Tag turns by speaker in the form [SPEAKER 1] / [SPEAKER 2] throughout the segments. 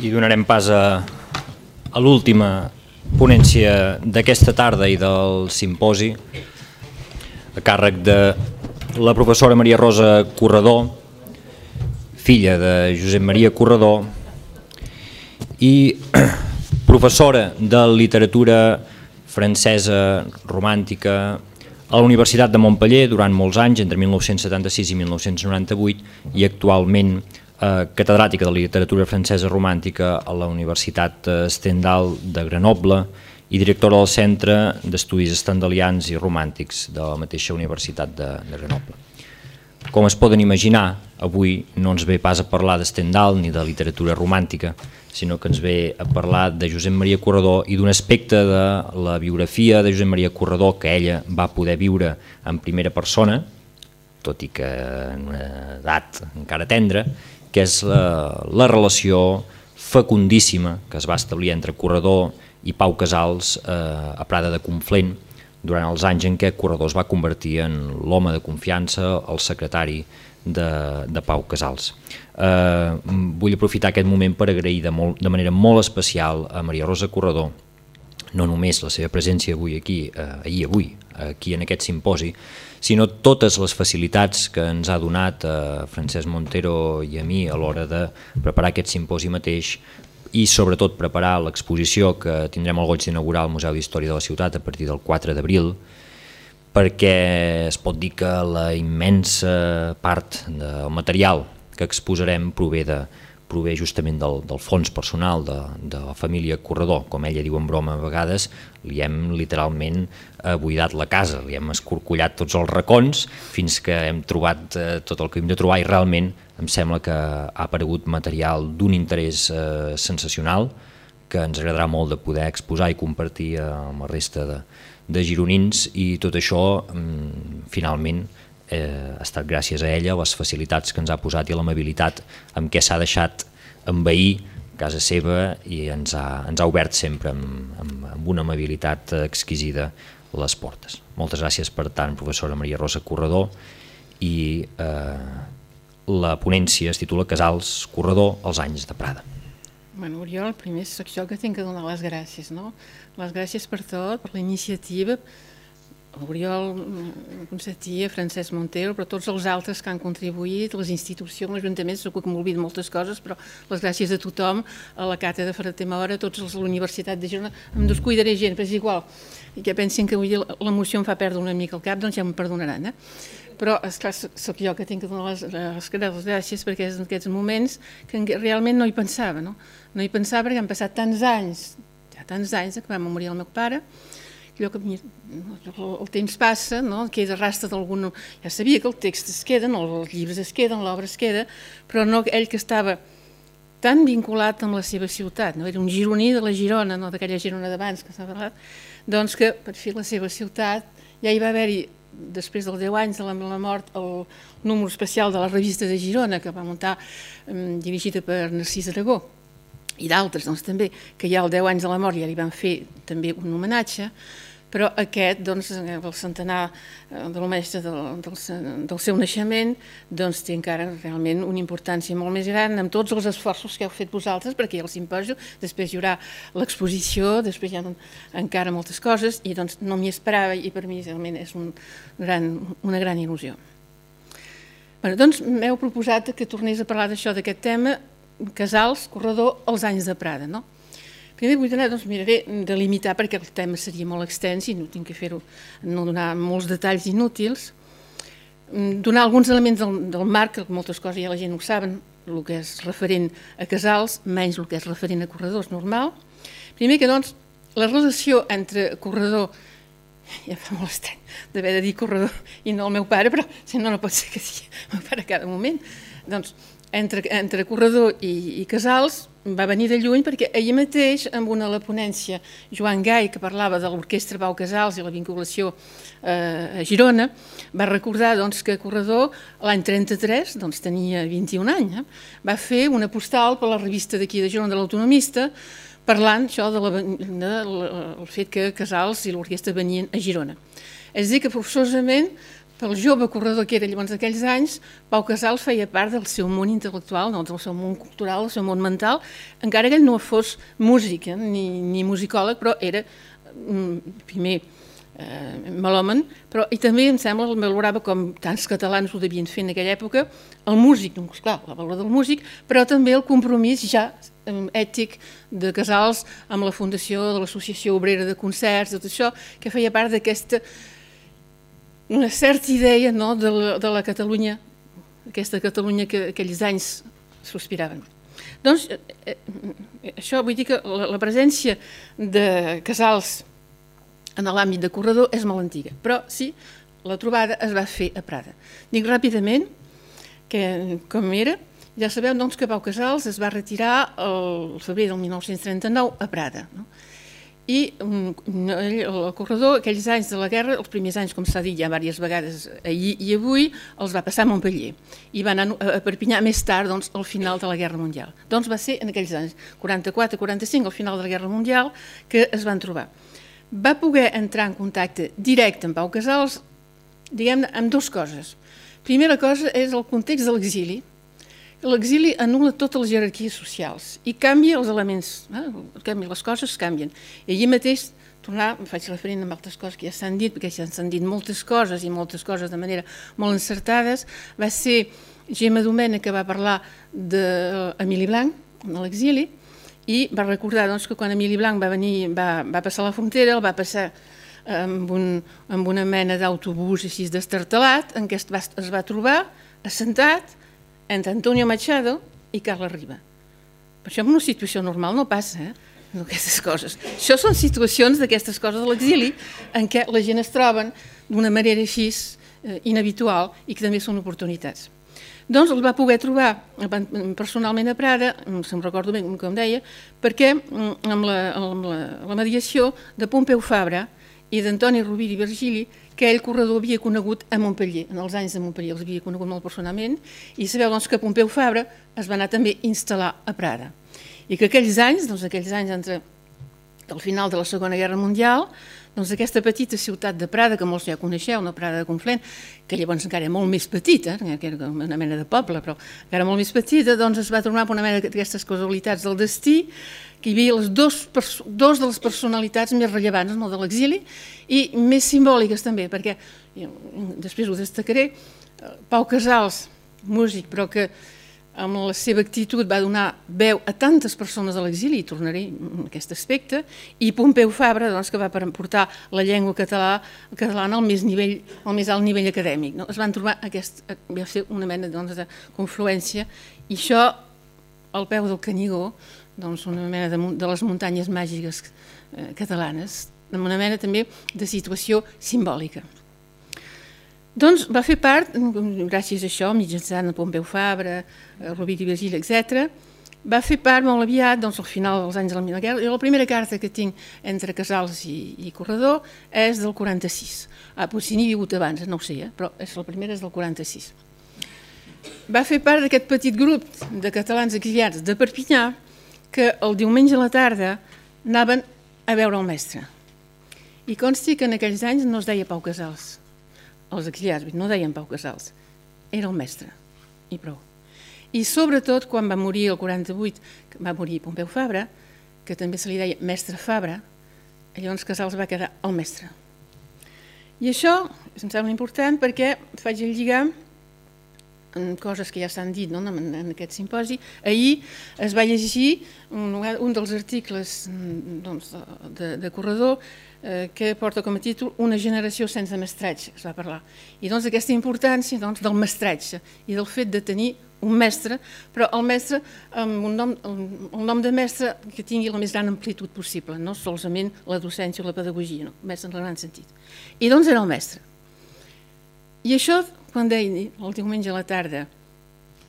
[SPEAKER 1] I donarem pas a l'última ponència d'aquesta tarda i del simposi, a càrrec de la professora Maria Rosa Corredor, filla de Josep Maria Corredor i professora de literatura francesa romàntica a la Universitat de Montpeller durant molts anys, entre 1976 i 1998, i actualment catedràtica de literatura francesa romàntica a la Universitat Stendhal de Grenoble i directora del Centre d'Estudis Stendhalians i Romàntics de la mateixa Universitat de Grenoble. Com es poden imaginar, avui no ens ve pas a parlar de Stendhal ni de literatura romàntica, sinó que ens ve a parlar de Josep Maria Corredor i d'un aspecte de la biografia de Josep Maria Corredor que ella va poder viure en primera persona, tot i que en una edat encara tendra, que és la relació fecundíssima que es va establir entre Corredor i Pau Casals a Prada de Conflent durant els anys en què Corredor es va convertir en l'home de confiança, el secretari de Pau Casals. Vull aprofitar aquest moment per agrair de manera molt especial a Maria Rosa Corredor no només la seva presència avui aquí en aquest simposi, sinó totes les facilitats que ens ha donat a Francesc Montero i a mi a l'hora de preparar aquest simposi mateix i sobretot preparar l'exposició que tindrem el goig d'inaugurar al Museu d'Història de la Ciutat a partir del 4 d'abril, perquè es pot dir que la immensa part del material que exposarem prové justament del fons personal de la família Corredor. Com ella diu en broma a vegades, li hem literalment buidat la casa, li hem escorcollat tots els racons fins que hem trobat tot el que hem de trobar i realment em sembla que ha aparegut material d'un interès sensacional que ens agradarà molt de poder exposar i compartir amb la resta de gironins, i tot això finalment ha estat gràcies a ella, a les facilitats que ens ha posat i a l'amabilitat amb què s'ha deixat envair casa seva i ens ha obert sempre amb una amabilitat exquisida les portes. Moltes gràcies per tant, professora Maria Rosa Corredor, i la ponència es titula Casals Corredor, els anys de Prada.
[SPEAKER 2] Bueno, Oriol, primer soc jo que tinc que donar les gràcies, no? Les gràcies per tot, per la iniciativa, Oriol, Constantí, Francesc Montero, però tots els altres que han contribuït, les institucions, l'Ajuntament, segur que m'oblido moltes coses, però les gràcies a tothom, a la càtedra Ferrer Mora, a tots els de la Universitat de Girona, em descuidaré gent, però és igual, i que pensin que l'emoció em fa perdre una mica el cap, doncs ja em perdonaran, Però, esclar, soc jo que tinc que donar les gràcies perquè és en aquests moments que realment no hi pensava, no? No hi pensava perquè han passat tants anys, que va morir el meu pare, allò que el temps passa, queda rastre d'algun... Ja sabia que el text es queda, els llibres es queden, l'obra es queda, però no ell que estava tan vinculat amb la seva ciutat, era un gironí de la Girona, d'aquella Girona d'abans que s'ha parlat, doncs que per fi la seva ciutat ja hi va haver-hi, després dels 10 anys de la mort, el número especial de la revista de Girona que va muntar, dirigida per Narcís Aragó, i d'altres també, que ja als 10 anys de la mort ja li van fer també un homenatge, però aquest, el centenar del mestre del seu naixement, té encara realment una importància molt més gran amb tots els esforços que heu fet vosaltres, perquè hi ha el simposi, després hi haurà l'exposició, després hi ha encara moltes coses, i no m'hi esperava, i per mi realment és una gran il·lusió. Doncs m'heu proposat que tornés a parlar d'això, d'aquest tema, Casals, Corredor, els anys de Prada, no? Primer vull miraré de limitar perquè el tema seria molt extens i no tinc que fer-ho, no donar molts detalls inútils, donar alguns elements del marc, que moltes coses ja la gent ho saben, el que és referent a Casals, menys el que és referent a Corredor, és normal. Primer que la relació entre Corredor, ja fa molt estrany d'haver de dir Corredor i no el meu pare, però si no pot ser que sigui el meu pare a cada moment, doncs entre Corredor i Casals va venir de lluny perquè ahir mateix amb la ponència Joan Gai, que parlava de l'orquestra Pau Casals i la vinculació a Girona, va recordar que Corredor l'any 33 tenia 21 anys, va fer una postal per la revista d'aquí de Girona de l'Autonomista parlant del fet que Casals i l'orquestra venien a Girona. És a dir, que forçosament pel jove corredor que era llavors d'aquells anys, Pau Casals feia part del seu món intel·lectual, no, del seu món cultural, del seu món mental, encara que ell no fos músic ni musicòleg, però era primer melòman, però i també em sembla, el valorava com tants catalans ho devien fer en aquella època, el músic, doncs clar, la valor del músic, però també el compromís ja ètic de Casals amb la fundació de l'Associació Obrera de Concerts, tot això, que feia part d'aquesta una certa idea, no, de la Catalunya, aquesta Catalunya que aquells anys sospiraven. Doncs això vull dir que la presència de Casals en l'àmbit de corredor és molt antiga, però sí, la trobada es va fer a Prada. Dic ràpidament que com era, ja sabeu doncs, que Pau Casals es va retirar el febrer del 1939 a Prada, no? I el corredor, aquells anys de la guerra, els primers anys, com s'ha dit ja diverses vegades ahir i avui, els va passar a Montpellier i va anar a Perpinyà més tard, doncs, al final de la Guerra Mundial. Doncs va ser en aquells anys, 44-45, al final de la Guerra Mundial, que es van trobar. Va poder entrar en contacte directe amb Pau Casals, diguem-ne, amb dues coses. Primera cosa és el context de l'exili. L'exili anul·la totes les jerarquies socials i canvia els elements, les coses canvien. I allí mateix, faig referent a altres coses que ja s'han dit, perquè ja s'han dit moltes coses i moltes coses de manera molt encertades, va ser Gemma Domènech que va parlar d'Emili Blanc, a l'exili, i va recordar doncs, que quan Emili Blanc va passar la frontera, el va passar amb una mena d'autobús així destartalat, en què es va trobar assentat entre Antonio Machado i Carles Riba. Per això en una situació normal no passa, aquestes coses. Això són situacions d'aquestes coses de l'exili en què la gent es troben d'una manera així inhabitual i que també són oportunitats. Doncs el va poder trobar personalment a Prada, se'm recordo bé com deia, perquè amb la mediació de Pompeu Fabra i d'Antoni Rovira i Virgili, que ell corredor havia conegut a Montpellier, en els anys de Montpellier els havia conegut molt personalment, i sabeu doncs, que Pompeu Fabra es va anar també a instal·lar a Prada. I que aquells anys entre el final de la Segona Guerra Mundial, doncs aquesta petita ciutat de Prada, que molts ja coneixeu, una Prada de Conflent, que llavors encara era molt més petita, que era una mena de poble, però encara molt més petita, doncs es va tornar per una mena d'aquestes casualitats del destí, que hi havia les dos de les personalitats més rellevants de l'exili i més simbòliques també, perquè després ho destacaré, Pau Casals, músic, però que amb la seva actitud va donar veu a tantes persones de l'exili, i tornaré en aquest aspecte, i Pompeu Fabra, doncs, que va portar la llengua catalana al més alt nivell acadèmic. Es van trobar va ser una mena de confluència, i això al peu del Canigó, doncs una mena de les muntanyes màgiques catalanes, una mena també de situació simbòlica. Doncs va fer part, gràcies a això, mitjançant Pompeu Fabra, Rovira i Virgili, etc., va fer part molt aviat, doncs al final dels anys de la guerra, i la primera carta que tinc entre Casals i Corredor és del 46. Potser n'hi ha hagut abans, no ho sé, però la primera és del 46. Va fer part d'aquest petit grup de catalans exiliats de Perpinyà que el diumenge a la tarda anaven a veure el mestre. I consti que en aquells anys no es deia Pau Casals. Els exiliats no deien Pau Casals, era el mestre, i prou. I sobretot quan va morir el 48, que va morir Pompeu Fabra, que també se li deia mestre Fabra, llavors Casals va quedar el mestre. I això em sembla important perquè faig el lligam en coses que ja s'han dit en aquest simposi. Ahir es va llegir un dels articles de Corredor que porta com a títol Una generació sense mestratge, que es va parlar. I doncs aquesta importància del mestratge i del fet de tenir un mestre, però el mestre amb el nom de mestre que tingui la més gran amplitud possible, no solament la docència o la pedagogia, el mestre en el gran sentit. I doncs era el mestre. I això, quan deia el diumenge a la tarda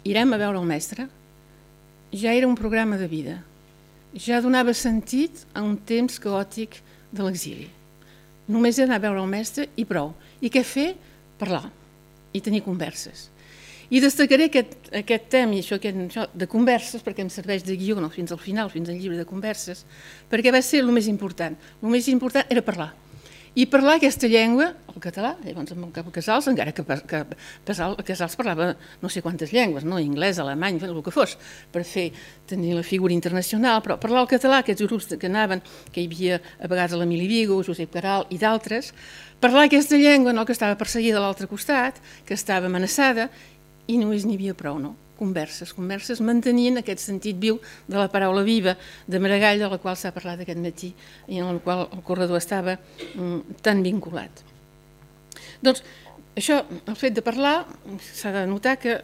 [SPEAKER 2] irem a veure el mestre, ja era un programa de vida, ja donava sentit a un temps caòtic de l'exili. Només anar a veure el mestre i prou. I què fer? Parlar i tenir converses. I destacaré aquest tema i això de converses, perquè em serveix de guió fins al final, fins al llibre de converses, perquè va ser el més important. El més important era parlar. i parlar aquesta llengua, el català, llavors amb el Casals, encara que Casals parlava no sé quantes llengües, no? Anglès, alemany, el que fos, per tenir la figura internacional, però parlar el català, aquests grups que anaven, que hi havia a vegades l'Emili Vigo, Josep Caral i d'altres, parlar aquesta llengua, no? Que estava perseguida a l'altre costat, que estava amenaçada, i només n'hi havia prou, no? Converses mantenint aquest sentit viu de la paraula viva de Maragall, de la qual s'ha parlat aquest matí i en la qual el corredor estava tan vinculat. Doncs això, el fet de parlar, s'ha de notar que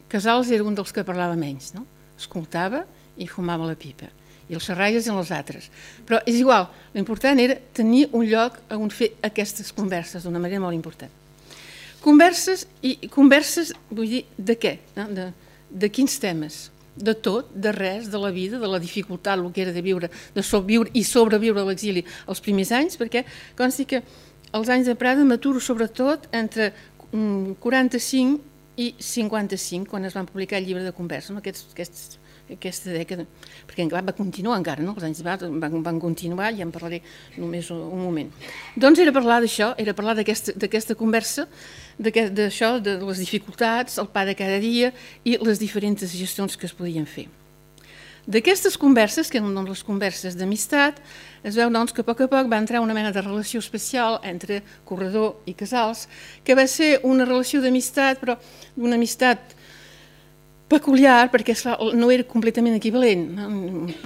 [SPEAKER 2] Casals era un dels que parlava menys, no? Escoltava i fumava la pipa, i els xerraires eren els altres. Però és igual, l'important era tenir un lloc on fer aquestes converses d'una manera molt important. Converses, vull dir, de què? De quins temes? De tot, de res, de la vida, de la dificultat, el que era de viure, de viure i sobreviure a l'exili els primers anys, perquè consti que els anys de Prada m'aturo sobretot entre 45 i 55, quan es van publicar el llibre de conversa, no? Aquesta dècada, perquè va continuar encara, no? Els anys van continuar, ja en parlaré només un moment. Doncs era parlar d'això, era parlar d'aquesta conversa, d'això, de les dificultats, el pa de cada dia i les diferents gestions que es podien fer. D'aquestes converses, que eren les converses d'amistat, es veu doncs, que a poc va entrar una mena de relació especial entre Corredor i Casals, que va ser una relació d'amistat, però d'una amistat peculiar, perquè no era completament equivalent.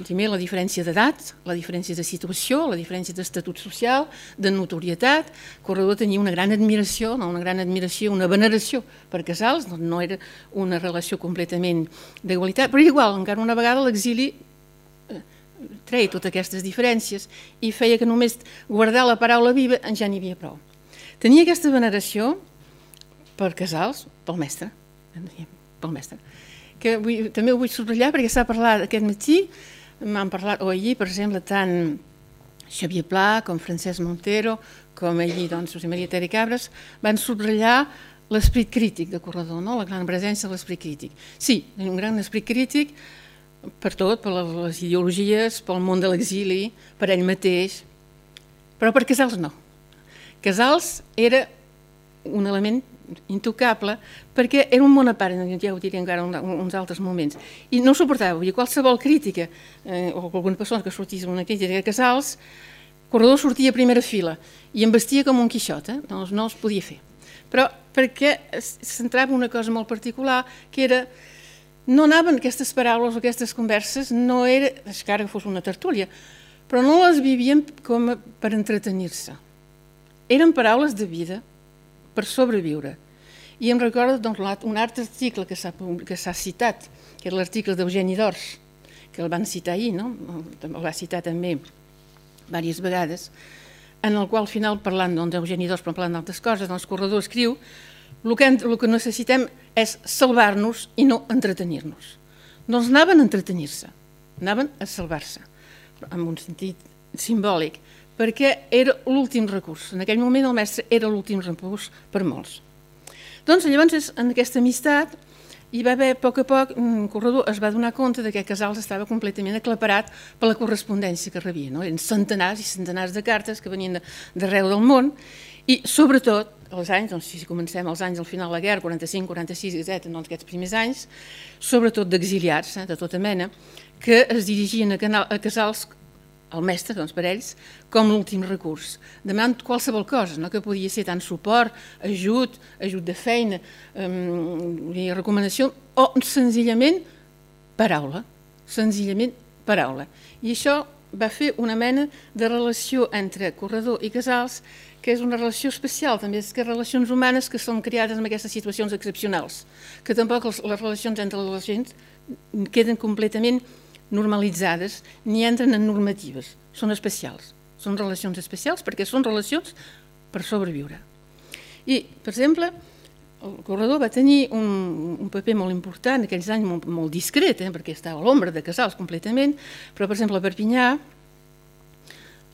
[SPEAKER 2] Primer, la diferència d'edat, la diferència de situació, la diferència d'estatut social, de notorietat. Corredor tenia una gran admiració, una veneració per Casals, no era una relació completament d'igualitat, però igual, encara una vegada l'exili treia totes aquestes diferències i feia que només guardar la paraula viva ja n'hi havia prou. Tenia aquesta veneració per Casals, pel mestre, que també ho vull subratllar perquè s'ha parlat aquest matí, m'han parlat, o ahir, per exemple, tant Xavier Pla com Francesc Montero, com ahir, doncs, José María Tere Cabres, van subratllar l'esperit crític de Corredor, la gran presència de l'esperit crític. Sí, un gran esperit crític per tot, per les ideologies, pel món de l'exili, per ell mateix, però per Casals no. Casals era un element intocable, perquè era un món a part, ja ho diré encara en uns altres moments, i no suportava, vull dir, qualsevol crítica, o alguna persona que sortís una crítica de Casals, Corredor sortia a primera fila i em vestia com un Quixot, no es podia fer. Però perquè centrava una cosa molt particular, que era, no anaven aquestes paraules o aquestes converses, no era, encara que fos una tertúlia, però no les vivien com per entretenir-se. Eren paraules de vida, per sobreviure. I em recordo un altre article que s'ha citat, que era l'article d'Eugeni d'Ors, que el van citar ahir, el va citar també diverses vegades, en el qual al final, parlant d'Eugeni d'Ors, però parlant d'altres coses, el Corredor escriu el que necessitem és salvar-nos i no entretenir-nos. No els anaven a entretenir-se, anaven a salvar-se, en un sentit simbòlic, perquè era l'últim recurs. En aquell moment el mestre era l'últim recurs per molts. Doncs llavors, en aquesta amistat, hi va haver, a poc, Corredor es va donar compte que Casals estava completament aclaparat per la correspondència que rebia. Eren centenars i centenars de cartes que venien d'arreu del món i, sobretot, els anys, si comencem els anys al final de la guerra, 45, 46, etc., aquests primers anys, sobretot d'exiliats, de tota mena, que es dirigien a Casals, el mestre, per ells, com l'últim recurs, demanant qualsevol cosa, que podia ser tant suport, ajut de feina, recomanació, o senzillament paraula, I això va fer una mena de relació entre Corredor i Casals, que és una relació especial, també és que relacions humanes que són creades en aquestes situacions excepcionals, que tampoc les relacions entre les gens queden completament normalitzades ni entren en normatives, són especials, són relacions especials perquè són relacions per sobreviure. I, per exemple, el Corredor va tenir un paper molt important, en aquells anys molt discret, perquè estava a l'ombra de Casals completament, però, per exemple, a Perpinyà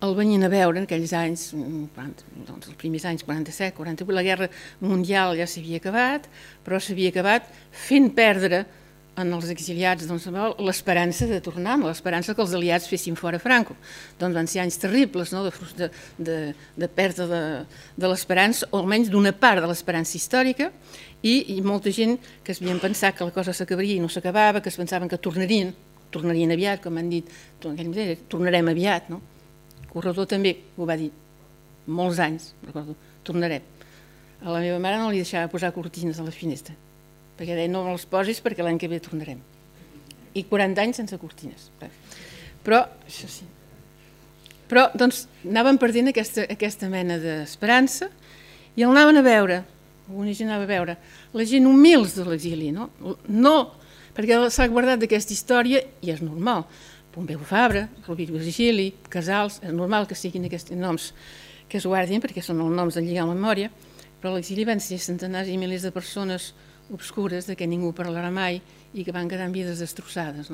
[SPEAKER 2] el venien a veure en aquells anys, els primers anys 47, 48, la guerra mundial ja s'havia acabat, però s'havia acabat fent perdre en els exiliats l'esperança de tornar, l'esperança que els aliats fessin fora Franco. Doncs van ser anys terribles, de pèrdua de l'esperança, o almenys d'una part de l'esperança històrica, i molta gent que es havien pensat que la cosa s'acabaria i no s'acabava, que es pensaven que tornarien aviat, com han dit, tornarem aviat. Corredor també ho va dir molts anys, recordo, tornarem. A la meva mare no li deixava posar cortines a la finestra, perquè deia no les posis perquè l'any que ve tornarem. I 40 anys sense cortines. Però, això sí. Però, doncs, anaven perdent aquesta mena d'esperança i el anaven a veure, alguna gent anava a veure, la gent humils de l'exili, no, perquè s'ha guardat d'aquesta història i és normal. Pompeu Fabra, Rovira i Virgili, Casals, és normal que siguin aquests noms que es guardin perquè són els noms de lligar a la memòria, però a l'exili van ser centenars i milers de persones obscures de què ningú parlarà mai i que van quedar amb vides destrossades.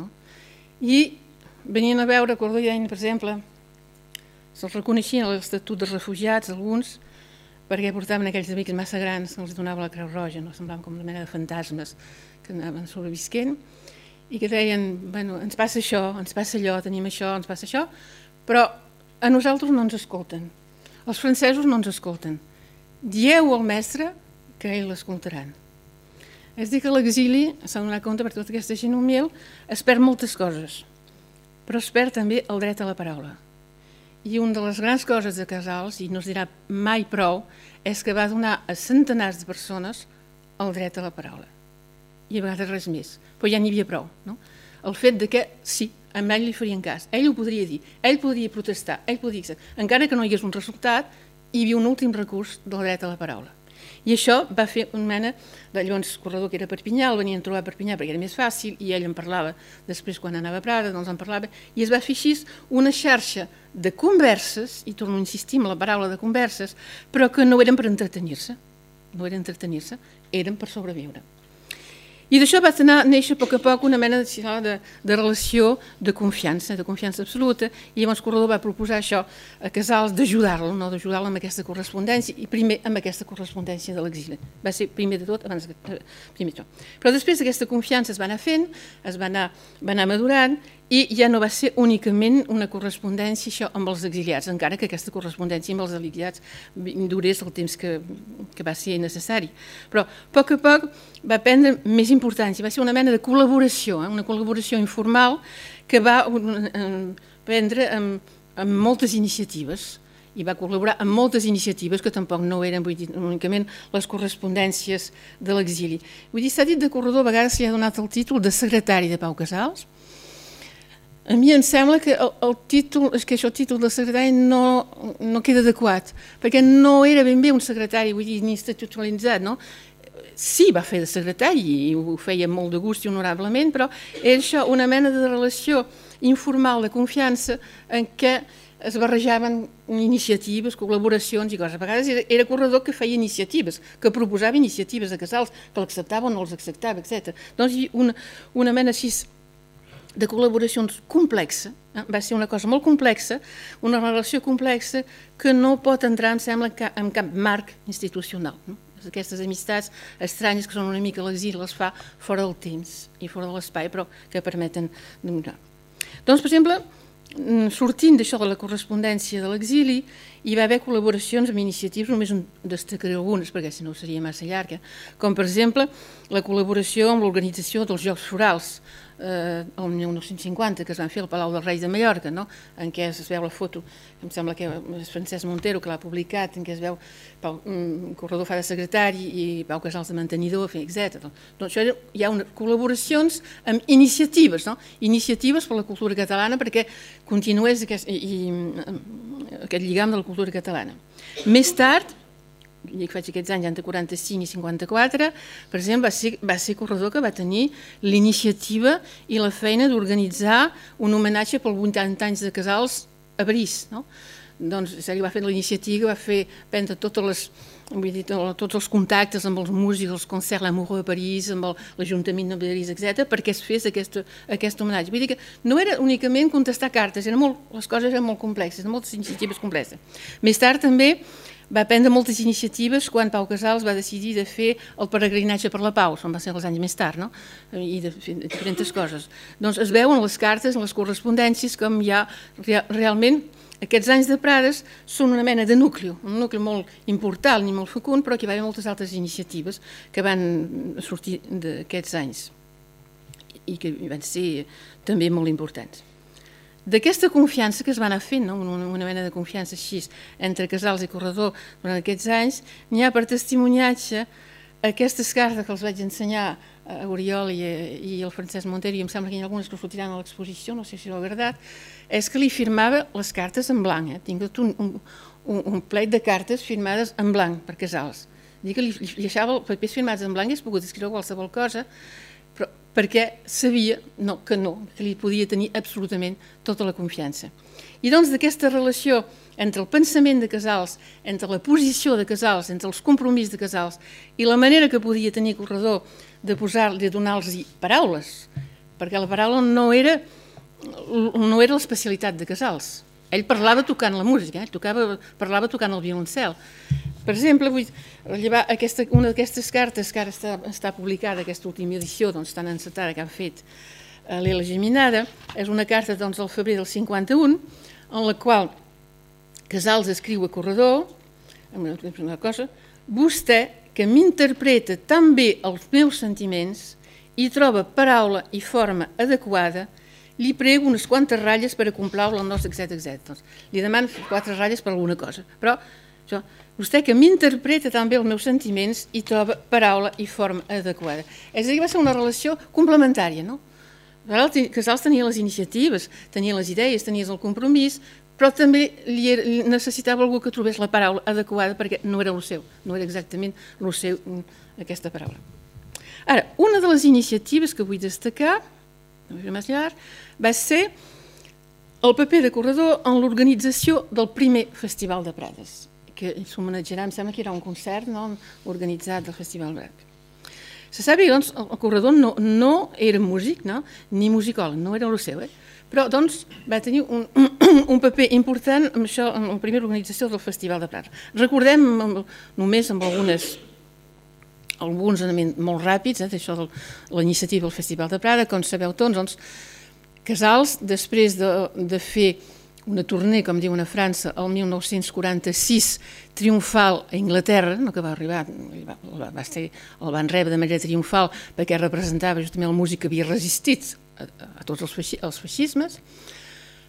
[SPEAKER 2] I venien a veure, recordo, i deien, per exemple, se'ls reconeixien a l'Estatut dels Refugiats, alguns, perquè portaven aquells amics massa grans que els donava la Creu Roja, semblaven com una mena de fantasmes que anaven sobrevisquent i que deien, bueno, ens passa això, ens passa allò, tenim això, ens passa això, però a nosaltres no ens escolten. Els francesos no ens escolten. Dieu al mestre que ell l'escoltaran. És dir, que a l'exili s'ha donat compte per tota aquesta gent humil, es perd moltes coses, però es perd també el dret a la paraula. I una de les grans coses de Casals, i no es dirà mai prou, és que va donar a centenars de persones el dret a la paraula. I a vegades res més, però ja n'hi havia prou. El fet de que sí, a ell li farien cas, ell ho podria dir, ell podria protestar, ell podria... Encara que no hi hagués un resultat, hi havia un últim recurs del dret a la paraula. I això va fer una mena de llavors corredor que era a Perpinyà, el venien a trobar a Perpinyà perquè era més fàcil i ell en parlava després quan anava a Prada, doncs en parlava, i es va fer així una xarxa de converses, i torno a insistir en la paraula de converses, però que no eren per entretenir-se, eren per sobreviure. I d'això va néixer a poc una mena de relació de confiança absoluta, i llavors Corredor va proposar això a Casals d'ajudar-lo, d'ajudar-lo amb aquesta correspondència, i primer amb aquesta correspondència de l'exili. Va ser primer de tot, primer tot. Però després aquesta confiança es va anar fent, es va anar madurant, i ja no va ser únicament una correspondència això amb els exiliats, encara que aquesta correspondència amb els exiliats durés el temps que va ser necessari. Però a poc va prendre més importància, va ser una mena de col·laboració, una col·laboració informal que va prendre amb moltes iniciatives, i va col·laborar amb moltes iniciatives que tampoc no eren únicament les correspondències de l'exili. Vull dir, s'ha dit de Corredor, a vegades s'hi ha donat el títol de secretari de Pau Casals. A mi em sembla que el títol de secretari no queda adequat, perquè no era ben bé un secretari, vull dir, ni institucionalitzat, no? Sí, va fer de secretari i ho feia molt de gust i honorablement, però era això, una mena de relació informal de confiança en què es barrejaven iniciatives, col·laboracions i coses. A vegades era Corredor que feia iniciatives, que proposava iniciatives a Casals, que l'acceptava o no els acceptava, etc. Doncs una mena així de col·laboracions complexa, va ser una cosa molt complexa, una relació complexa que no pot entrar, em sembla, en cap marc institucional. Aquestes amistats estranyes que són una mica a l'exili les fa fora del temps i fora de l'espai, però que permeten donar. Doncs, per exemple, sortint d'això de la correspondència de l'exili, hi va haver col·laboracions amb iniciatives, només en destacaré algunes, perquè si no seria massa llarga, com per exemple la col·laboració amb l'organització dels Jocs Florals, el 1950, que es van fer al Palau dels Reis de Mallorca, en què es veu la foto, em sembla que és Francesc Montero que l'ha publicat, en què es veu Corredor fa de secretari i Pau Casals de mantenidor, etc. Doncs això hi ha col·laboracions amb iniciatives, iniciatives per la cultura catalana perquè continués aquest lligam de la cultura catalana. Més tard, que faig aquests anys, entre 45 i 54, per exemple, va ser Corredor que va tenir l'iniciativa i la feina d'organitzar un homenatge pels 80 anys de Casals a París. Doncs ell va fer la iniciativa, va fer prendre totes vull dir, tots els contactes amb els músics, els concerts L'Amoureux a París, amb l'Ajuntament de París, etc., perquè es fes aquest homenatge. Vull dir que no era únicament contestar cartes, les coses eren molt complexes, moltes iniciatives complexes. Més tard també va prendre moltes iniciatives quan Pau Casals va decidir de fer el peregrinatge per la pau, va ser els anys més tard, no? I de fer diferents coses. Doncs es veuen les cartes, les correspondències, com hi ha realment aquests anys de Prades són una mena de nucli, un nucli molt important i molt fecund, però que hi va haver moltes altres iniciatives que van sortir d'aquests anys i que van ser també molt importants. D'aquesta confiança que es va anar fent, una mena de confiança així entre Casals i Corredor durant aquests anys, n'hi ha per testimoniatge aquestes cartes que els vaig ensenyar a Oriol i al Francesc Montero, i em sembla que hi ha algunes que sortiran a l'exposició, no sé si l'ha agradat, és que li firmava les cartes en blanc. Tinc un plec de cartes firmades en blanc per Casals. Dic que li deixava els papers firmats en blanc i es pogut escriure qualsevol cosa, però perquè sabia que li podia tenir absolutament tota la confiança. I doncs d'aquesta relació entre el pensament de Casals, entre la posició de Casals, entre els compromisos de Casals i la manera que podia tenir Corredor de donar-los paraules, perquè la paraula no era l'especialitat de Casals. Ell parlava tocant la música, parlava tocant el violoncel. Per exemple, vull rellevar una d'aquestes cartes que ara està publicada, aquesta última edició tan encetada que han fet l'Ela Geminada, és una carta del febrer del 51, en la qual Casals escriu a Corredor una cosa: vostè, que m'interpreta tan bé els meus sentiments i troba paraula i forma adequada, li prego unes quantes ratlles per a complaure el nostre, etc. Li demano 4 ratlles per alguna cosa, però vostè que m'interpreta tan bé els meus sentiments i troba paraula i forma adequada. És a dir, va ser una relació complementària, no? Casals tenia les iniciatives, tenia les idees, tenia el compromís, però també necessitava algú que trobés la paraula adequada perquè no era el seu, no era exactament el seu aquesta paraula. Ara, una de les iniciatives que vull destacar va ser el paper de Corredor en l'organització del primer Festival de Prades, que s'homenatjarà, em sembla que era un concert organitzat del Festival de Prades. Se sap que el Corredor no era músic ni musicòleg, no era el seu, però va tenir un paper important en això, en la primera organització del Festival de Prades. Recordem només amb alguns elements molt ràpids d'això de la iniciativa del Festival de Prades. Com sabeu tots, Casals, després de fer una tournée, com diuen a França, el 1946, triomfal a Anglaterra, que va arribar, el van rebre de manera triomfal perquè representava justament el músic que havia resistit a tots els feixismes,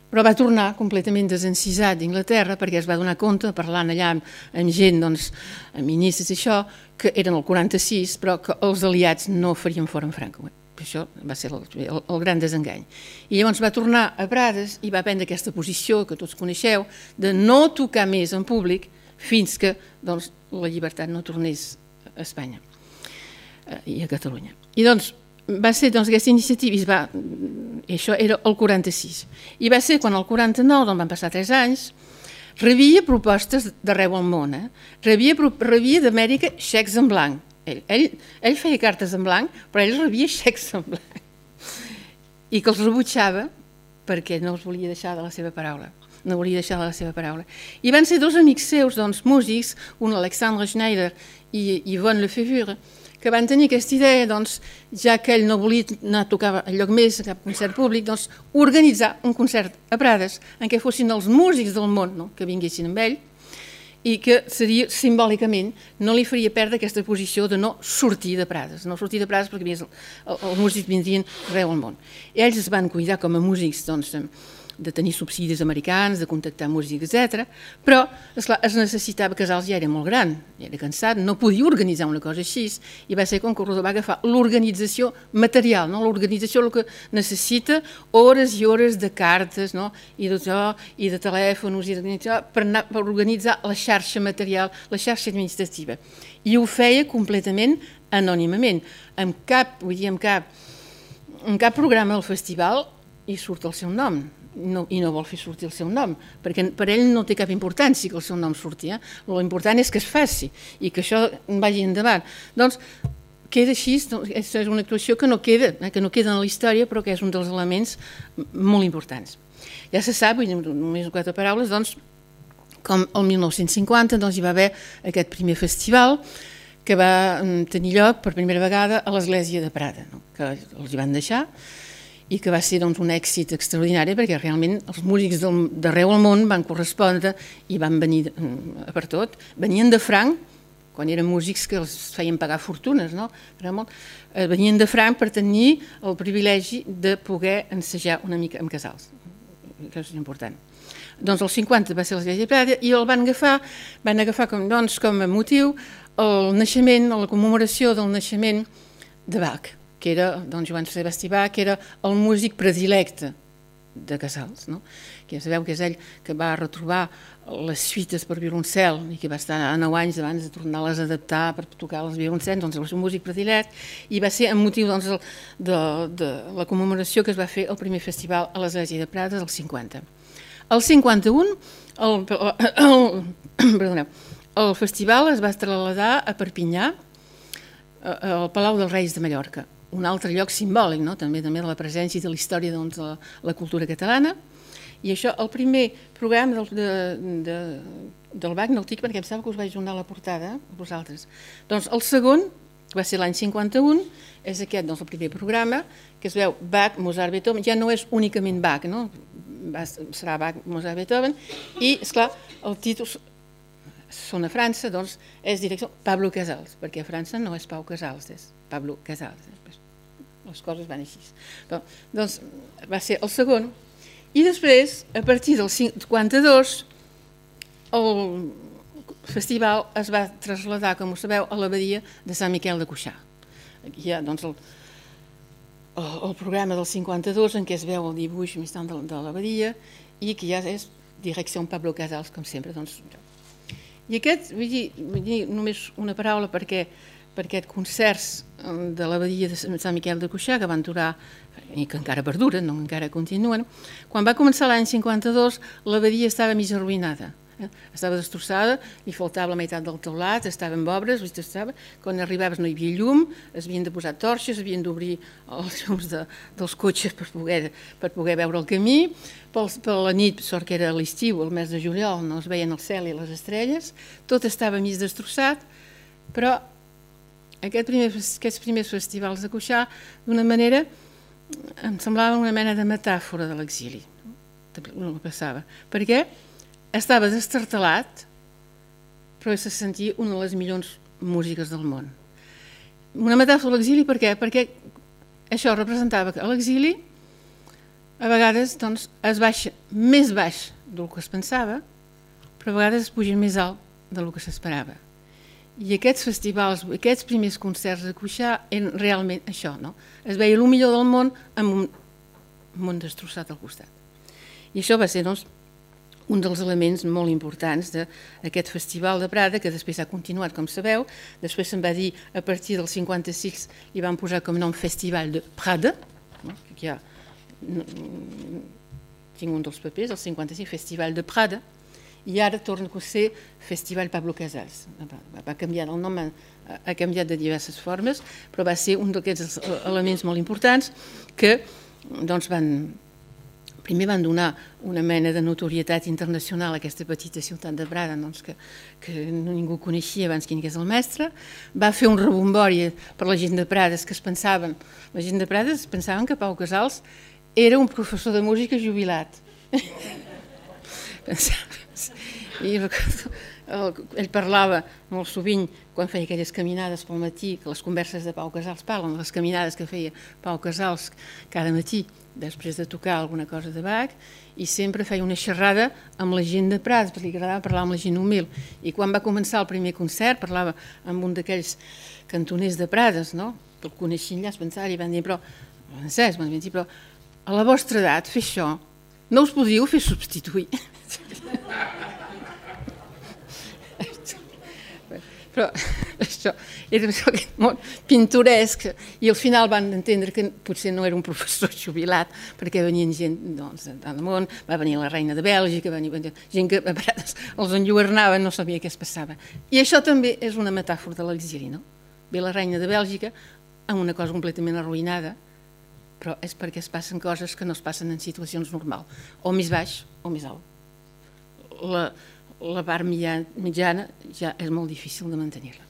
[SPEAKER 2] però va tornar completament desencisat d'Anglaterra perquè es va donar compte, parlant allà amb gent, amb ministres i això, que eren el 46, però que els aliats no farien fora en Franco. Això va ser el gran desengany. I llavors va tornar a Prades i va prendre aquesta posició que tots coneixeu de no tocar més en públic fins que la llibertat no tornés a Espanya i a Catalunya. I va ser aquesta iniciativa, i això era el 46, i va ser quan el 49, van passar 3 anys, rebia propostes d'arreu al món, rebia d'Amèrica xecs en blanc. Ell feia cartes en blanc, però ell rebia xecs en blanc i que els rebutjava perquè no els volia deixar de la seva paraula. No volia deixar de la seva paraula. I van ser 2 amics seus, músics, un Alexandre Schneider i Yvonne Lefebvre, que van tenir aquesta idea, ja que ell no volia anar a tocar enlloc més, a cap concert públic, organitzar un concert a Prades en què fossin els músics del món que vinguessin amb ell i que seria simbòlicament, no li faria perdre aquesta posició de no sortir de Prades, perquè els músics vindrien arreu al món. Ells es van cuidar com a músics de tenir subsidis americans, de contactar músics, etc. Però, esclar, es necessitava, Casals ja era molt gran, ja era cansat, no podia organitzar una cosa així, i va ser quan Corredor va agafar l'organització material, l'organització que necessita hores i hores de cartes i de telèfons per organitzar la xarxa material, la xarxa administrativa. I ho feia completament anònimament. En cap programa del festival hi surt el seu nom. i no vol fer sortir el seu nom, perquè per ell no té cap importància que el seu nom surti. L'important és que es faci i que això vagi endavant. Doncs queda així, és una actuació que no queda en la història, però que és un dels elements molt importants. Ja se sap, només 4 paraules, doncs, com el 1950 hi va haver aquest primer festival que va tenir lloc per primera vegada a l'Església de Prada, que els hi van deixar, i que va ser un èxit extraordinari perquè realment els músics d'arreu del món van correspondre i van venir per tot. Venien de franc, quan eren músics que els feien pagar fortunes, venien de franc per tenir el privilegi de poder ensejar una mica amb Casals, que és important. Doncs el 50 va ser l'Església de Prada i el van agafar com a motiu el naixement, la commemoració del naixement de Bach, que era Joan Sebastià Bach, que era el músic predilecte de Casals, que ja sabeu que és ell que va retrobar les suites per violoncel i que va estar 9 anys abans de tornar-les a adaptar per tocar els violoncels, doncs el seu músic predilecte, i va ser amb motiu de la commemoració que es va fer el primer festival a l'Església de Prada del 50. El 51, el festival es va traslladar a Perpinyà, al Palau dels Reis de Mallorca, un altre lloc simbòlic, també de la presència i de la història de la cultura catalana. I això, el primer programa del Bach, no el dic perquè em sembla que us vaig donar la portada a vosaltres. Doncs el segon, que va ser l'any 51, és aquest, el primer programa, que es veu Bach, Mozart, Beethoven, ja no és únicament Bach, serà Bach, Mozart, Beethoven, i, esclar, el títol són a França, doncs és direcció Pablo Casals, perquè a França no és Pau Casals, és Pablo Casals. Les coses van així. Doncs va ser el segon. I després, a partir del 52, el festival es va traslladar, com ho sabeu, a l'abadia de Sant Miquel de Cuixà. Aquí hi ha el programa del 52 en què es veu el dibuix més tant de l'abadia i que ja és direcció Pablo Casals, com sempre. I aquest, vull dir només una paraula per aquests concerts de l'abadia de Sant Miquel de Cuixà que van durar i que encara perduren, encara continuen. Quan va començar l'any 52, l'abadia estava mig arruïnada. Estava destrossada, li faltava la meitat del teulat, estava amb obres, quan arribaves no hi havia llum, es havien de posar torxes, havien d'obrir els llums dels cotxes per poder veure el camí. Per la nit, sort que era l'estiu, el mes de juliol, no es veien el cel i les estrelles, tot estava mig destrossat, però aquests primers festivals de Cuixà, d'una manera, em semblava una mena de metàfora de l'exili, el que passava. Per què? Estava destartalat, però se sentia una de les millors músiques del món. Una metàfora de l'exili per què? Perquè això representava que a l'exili a vegades es baixa més baix del que es pensava, però a vegades es puja més alt del que s'esperava. I aquests festivals, aquests primers concerts de Cuixà eren realment això, es veia el millor del món amb un món destrossat al costat. I això va ser, un dels elements molt importants d'aquest festival de Prada, que després ha continuat, com sabeu. Després se'n va dir, a partir del 56, li van posar com nom Festival de Prada, que ja tinc un dels papers, el 55, Festival de Prada, i ara torna a ser Festival Pablo Casals. Va canviar el nom, ha canviat de diverses formes, però va ser un d'aquests elements molt importants que primer van donar una mena de notorietat internacional a aquesta petita ciutat de Prada, que ningú coneixia abans quin és el mestre. Va fer un rebombori per la gent de Prades que la gent de Prades pensaven que Pau Casals era un professor de música jubilat. I ell parlava molt sovint, quan feia aquelles caminades pel matí, que les converses de Pau Casals parlen, les caminades que feia Pau Casals cada matí, després de tocar alguna cosa de Bach, i sempre feia una xerrada amb la gent de Prades, perquè li agradava parlar amb la gent humil. I quan va començar el primer concert, parlava amb un d'aquells cantoners de Prades, que el coneixien allà, es pensava, i van dir, però a la vostra edat, fer això, no us podríeu fer substituir. Però això era aquest món pintoresc, i al final van entendre que potser no era un professor jubilat, perquè venien gent doncs, de tot el món, va venir la reina de Bèlgica, va venir gent que a vegades els enlluernaven, no sabia què es passava. I això també és una metàfora de l'exili, no? Ve la reina de Bèlgica amb una cosa completament arruïnada, però és perquè es passen coses que no es passen en situacions normals, o més baix o més alt. La part mitjana ja és molt difícil de mantenir-la.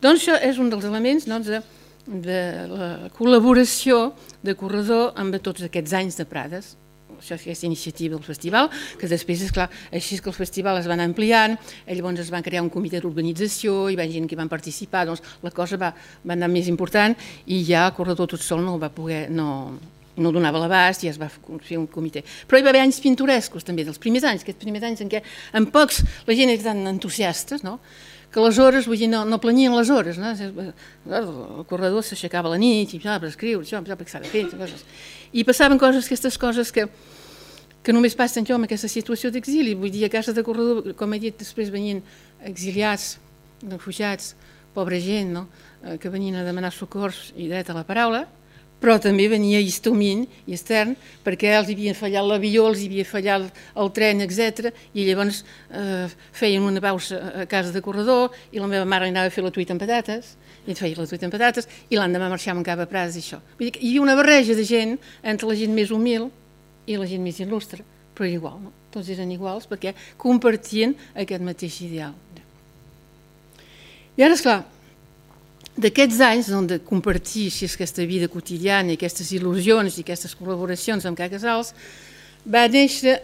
[SPEAKER 2] Doncs això és un dels elements de la col·laboració de Corredor amb tots aquests anys de Prades. Això és aquesta iniciativa del festival, que després, esclar, així que el festival es va anar ampliant, llavors es va crear un comitè d'organització, hi va gent que van participar, doncs la cosa va anar més important i ja Corredor tot sol no va poder, no donava l'abast i es va fer un comitè. Però hi va haver anys pintorescos també, dels primers anys, aquests primers anys en què en pocs la gent era tan entusiastes, no? Que les hores, vull dir, no planyien les hores, no? El Corredor s'aixecava a la nit i per escriure, això, perquè s'ha de fer, coses. I passaven coses, aquestes coses que només passen jo amb aquesta situació d'exili. Vull dir, a casa de Corredor, com he dit, després venien exiliats, refugiats, pobra gent, no? Que venien a demanar socors i dret a la paraula, però també venia histomín i extern, perquè els havia fallat l'avió, els havia fallat el tren, etc. I llavors feien una pausa a casa de Corredor i la meva mare anava a fer la truita amb patates, i et feia la truita amb patates, i l'endemà marxàvem cap a Prades i això. Vull dir que hi havia una barreja de gent entre la gent més humil i la gent més il·lustre, però era igual, no? Tots eren iguals perquè compartien aquest mateix ideal. I ara, esclar, d'aquests anys de compartir aquesta vida quotidiana i aquestes il·lusions i aquestes col·laboracions amb Ca Casals, va néixer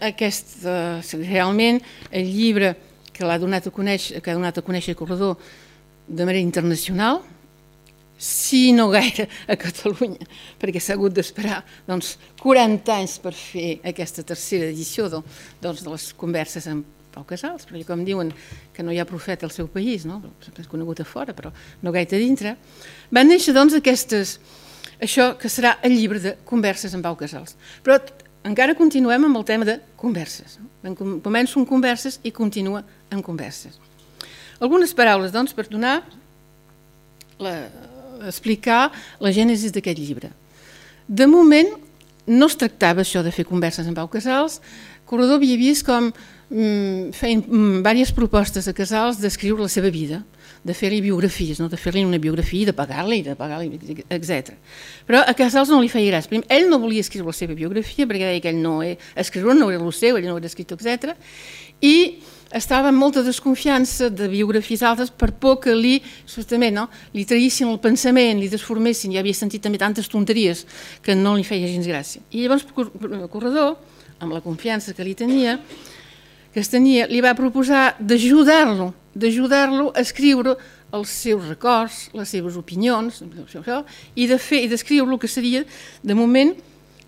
[SPEAKER 2] realment el llibre que l'ha donat a conèixer Corredor de manera internacional, si no gaire a Catalunya, perquè s'ha hagut d'esperar 40 anys per fer aquesta tercera edició de les converses amb Pau Casals, perquè com diuen que no hi ha profeta al seu país, és conegut a fora, però no gaire a dintre, van néixer això que serà el llibre de converses amb Pau Casals. Però encara continuem amb el tema de converses. Començo amb converses i continua amb converses. Algunes paraules, doncs, per explicar la gènesi d'aquest llibre. De moment, no es tractava això de fer converses amb Pau Casals. Corredor havia vist com feien diverses propostes a Casals d'escriure la seva vida, de fer-li biografies, de fer-li una biografia, de pagar-li, etc. Però a Casals no li feia gràcia. Ell no volia escriure la seva biografia perquè deia que ell no era el seu, ell no era escriptor, etc. I estava amb molta desconfiança de biografies altres per por que li traïssin el pensament, li desformessin. Ja havia sentit també tantes tonteries que no li feia gens gràcia. I llavors Corredor, amb la confiança que es tenia, li va proposar d'ajudar-lo a escriure els seus records, les seves opinions, i d'escriure el que seria, de moment,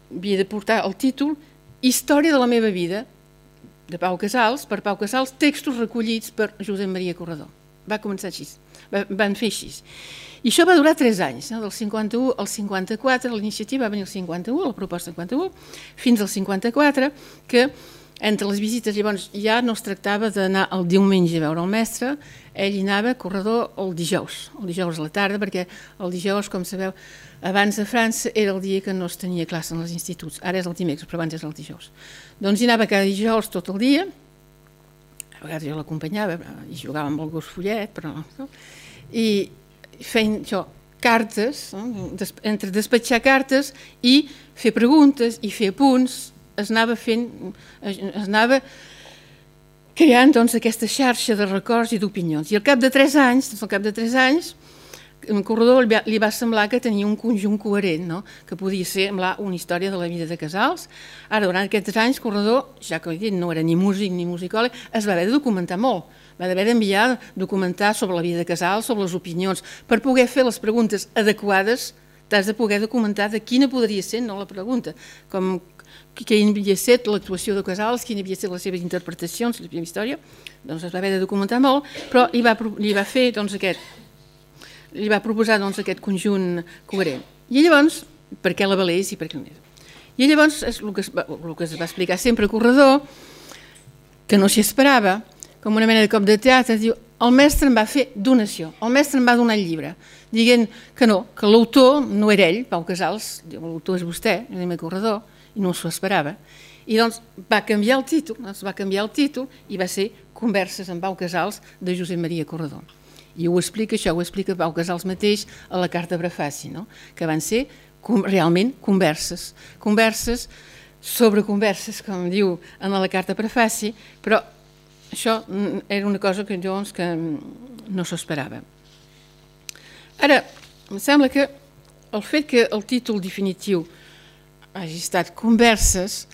[SPEAKER 2] havia de portar el títol Història de la meva vida, de Pau Casals, per Pau Casals, textos recollits per Josep Maria Corredor. Va començar així, van fer així. I això va durar 3 anys, del 51 al 54, l'iniciativa va venir al 51, la proposta del 51, fins al 54, que entre les visites llavors ja no es tractava d'anar el diumenge a veure el mestre, ell hi anava, Corredor, el dijous a la tarda, perquè el dijous, com sabeu, abans a França era el dia que no es tenia classe en els instituts, ara és el dimecres, però abans és el dijous. Doncs hi anava cada dijous tot el dia, a vegades jo l'acompanyava i jugava amb el gos follet, però no, i feien això, cartes, entre despatxar cartes i fer preguntes i fer apunts, es anava creant aquesta xarxa de records i d'opinions. I al cap de 3 anys, a Corredor li va semblar que tenia un conjunt coherent, que podia semblar una història de la vida de Casals. Ara, durant aquests anys, Corredor, ja que no era ni músic ni musicòleg, es va haver de documentar molt. Va haver d'enviar documentar sobre la vida de Casals, sobre les opinions. Per poder fer les preguntes adequades, t'has de poder documentar de quina podria ser la pregunta, com quina havia estat l'actuació de Casals, quina havia estat les seves interpretacions, la seva història, doncs es va haver de documentar molt, però li va proposar aquest conjunt coherent. I llavors, per què la valés i per què no és? I llavors, el que es va explicar sempre a Corredor, que no s'hi esperava, com una mena de cop de teatre, diu, el mestre em va fer donació, el mestre em va donar el llibre, dient que no, que l'autor no era ell, Pau Casals, l'autor és vostè, Josep Corredor, i no s'ho esperava, i doncs va canviar el títol, i va ser Converses amb Pau Casals de Josep Maria Corredor. I ho explica, això ho explica Pau Casals mateix a la carta prefaci, no? Que van ser realment converses sobre converses, com diu en la carta prefaci, però això era una cosa que jo que no s'ho esperava. Ara, em sembla que el fet que el títol definitiu hagi estat Converses,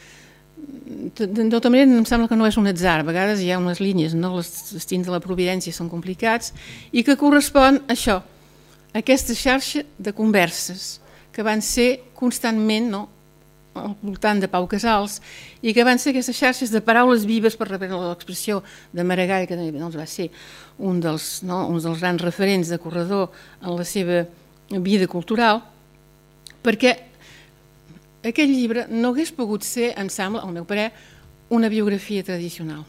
[SPEAKER 2] de tota manera em sembla que no és un atzar, a vegades hi ha unes línies, no? Els destins de la providència són complicats, i que correspon a això, a aquesta xarxa de converses que van ser constantment al voltant de Pau Casals i que van ser aquestes xarxes de paraules vives, per reprendre l'expressió de Maragall, que també va ser un dels grans referents de Corredor en la seva vida cultural, perquè aquest llibre no hagués pogut ser, em sembla, al meu parer, una biografia tradicional.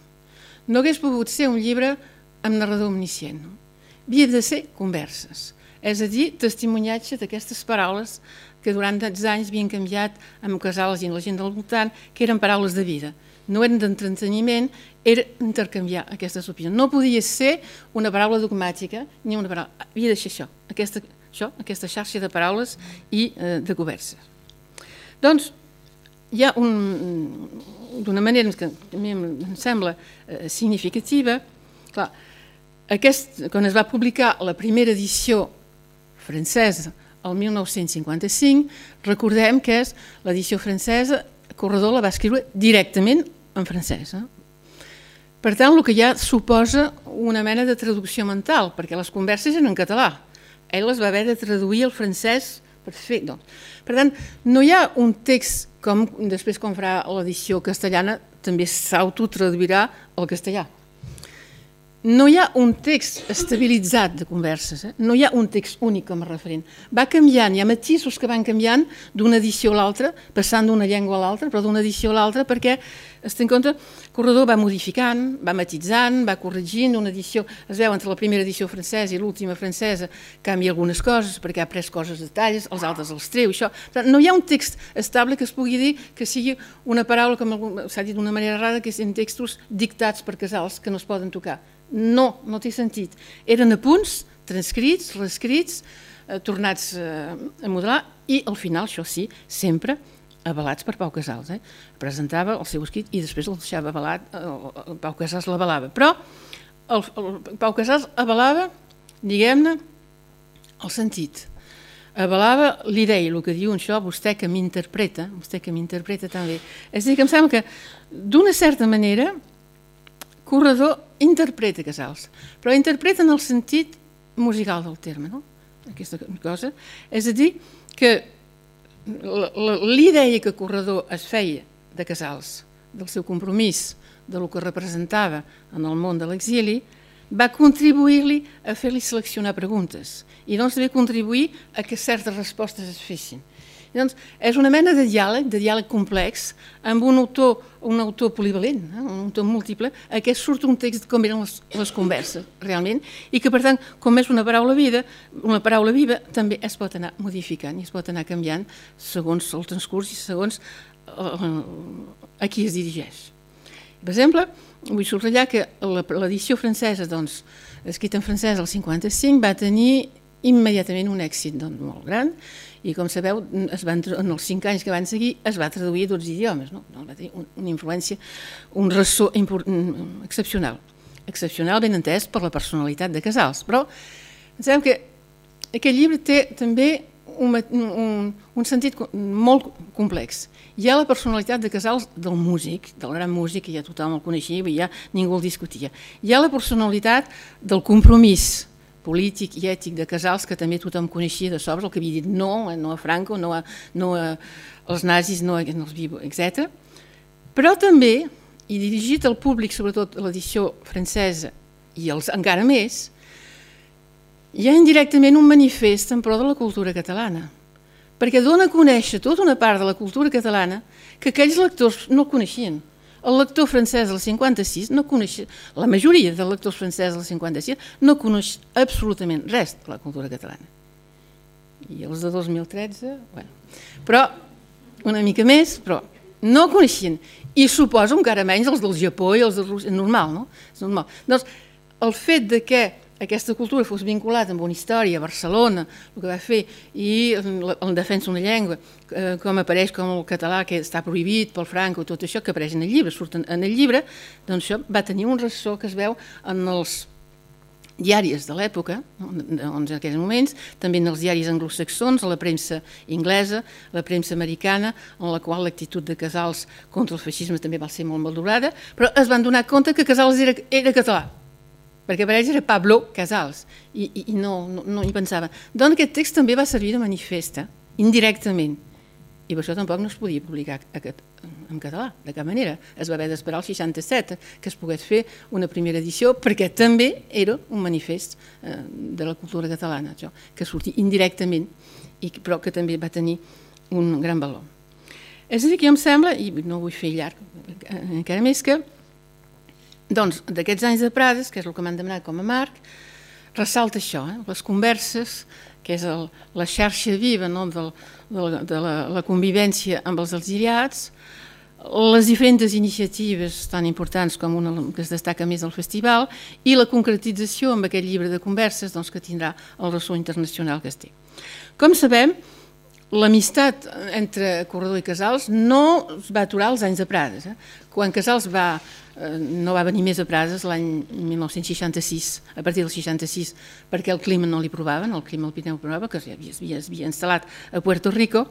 [SPEAKER 2] No hagués pogut ser un llibre amb narrador omniscient. Havia de ser converses, és a dir, testimoniatge d'aquestes paraules que durant tants anys havien canviat amb Casals i amb la gent del voltant, que eren paraules de vida. No eren d'entreteniment, era intercanviar aquestes opinions. No podia ser una paraula dogmàtica ni una paraula... Havia de ser això, aquesta xarxa de paraules i de converses. Doncs hi ha d'una manera que a mi em sembla significativa, clar, quan es va publicar la primera edició francesa el 1955, recordem que és l'edició francesa, Corredor la va escriure directament en francès. Per tant, el que ja suposa una mena de traducció mental, perquè les converses eren en català. Ell les va haver de traduir al francès per fer. Per tant, no hi ha un text com després quan farà l'edició castellana també s'autotraduirà al castellà. No hi ha un text estabilitzat de converses, no hi ha un text únic com a referent. Va canviant, hi ha matisos que van canviant d'una edició a l'altra, passant d'una llengua a l'altra, però d'una edició a l'altra, perquè, es té en compte, Corredor va modificant, va matitzant, va corregint, una edició, es veu entre la primera edició francesa i l'última francesa, canvia algunes coses, perquè ha pres coses de detalls, els altres els treu, això. No hi ha un text estable que es pugui dir que sigui una paraula, com s'ha dit d'una manera rara, que són textos dictats per Casals que no es poden tocar. No, no té sentit. Eren apunts, transcrits, reescrits, tornats a modelar i al final, això sí, sempre avalats per Pau Casals. Presentava el seu escrit i després el deixava avalat, Pau Casals l'avalava. Però el Pau Casals avalava, diguem-ne, el sentit. Avalava l'idea, el que diu això, vostè que m'interpreta també. És a dir, que em sembla que d'una certa manera Corredor interpreta Casals, però interpreta en el sentit musical del terme, no? Aquesta cosa. És a dir, que l'idea que Corredor es feia de Casals, del seu compromís, del que representava en el món de l'exili, va contribuir-li a fer-li seleccionar preguntes i doncs també contribuir a que certes respostes es fessin. Doncs és una mena de diàleg complex, amb un autor polivalent, un autor múltiple, a què surt un text com eren les converses, realment, i que, per tant, com és una paraula viva, també es pot anar modificant i es pot anar canviant segons el transcurs i segons a qui es dirigeix. Per exemple, vull subratllar que l'edició francesa, escrita en francès el 55, va tenir immediatament un èxit molt gran, i com sabeu, en els 5 anys que van seguir es va traduir a 12 idiomes, va tenir una influència, un ressò excepcional, ben entès per la personalitat de Casals, però sabeu que aquest llibre té també un sentit molt complex. Hi ha la personalitat de Casals del músic, del gran músic, que ja tothom el coneixia i ja ningú el discutia. Hi ha la personalitat del compromís polític i ètic de Casals, que també tothom coneixia de sobres, el que havia dit no a Franco, no als nazis, no als vivos, etc. Però també, i dirigit al públic, sobretot l'edició francesa i els encara més, hi ha indirectament un manifest en pro de la cultura catalana, perquè dona a conèixer tota una part de la cultura catalana que aquells lectors no coneixien. el lector francès del 56 no coneix, la majoria dels lectors francesos del 56 no coneix absolutament res de la cultura catalana. I els de 2013, bueno, però una mica més, però no coneixien. I suposo encara menys els del Japó i els de Rússia, normal, no? És normal. Doncs el fet de que aquesta cultura fos vinculada amb una història, a Barcelona, el que va fer, i en defensa d'una llengua, com apareix com el català, que està prohibit pel Franco, tot això que apareix en el llibre, surten en el llibre, doncs això va tenir un ressò que es veu en els diaris de l'època, en aquells moments, també en els diaris anglosaxons, a la premsa inglesa, la premsa americana, en la qual l'actitud de Casals contra el feixisme també va ser molt valorada, però es van donar compte que Casals era català, perquè per ells era Pablo Casals, i no hi pensaven. Doncs aquest text també va servir de manifesta, indirectament, i per això tampoc no es podia publicar en català, de cap manera. Es va haver d'esperar el 67 que es pogués fer una primera edició, perquè també era un manifest de la cultura catalana, això, que sortia indirectament, però que també va tenir un gran valor. És a dir, que em sembla, i no ho vull fer llarg encara més, que doncs, d'aquests anys de Prades, que és el que m'han demanat com a marc, ressalta això, les converses, que és la xarxa viva de la convivència amb els exiliats, les diferents iniciatives tan importants com una que es destaca més del festival i la concretització amb aquest llibre de converses que tindrà el ressò internacional que es té. Com sabem, l'amistat entre Corredor i Casals no es va aturar als anys de Prades. Quan Casals no va venir més a Prades l'any 1966, a partir del 66, perquè el clima no li provaven, el clima al Pirineu provava, que s'havia instal·lat a Puerto Rico.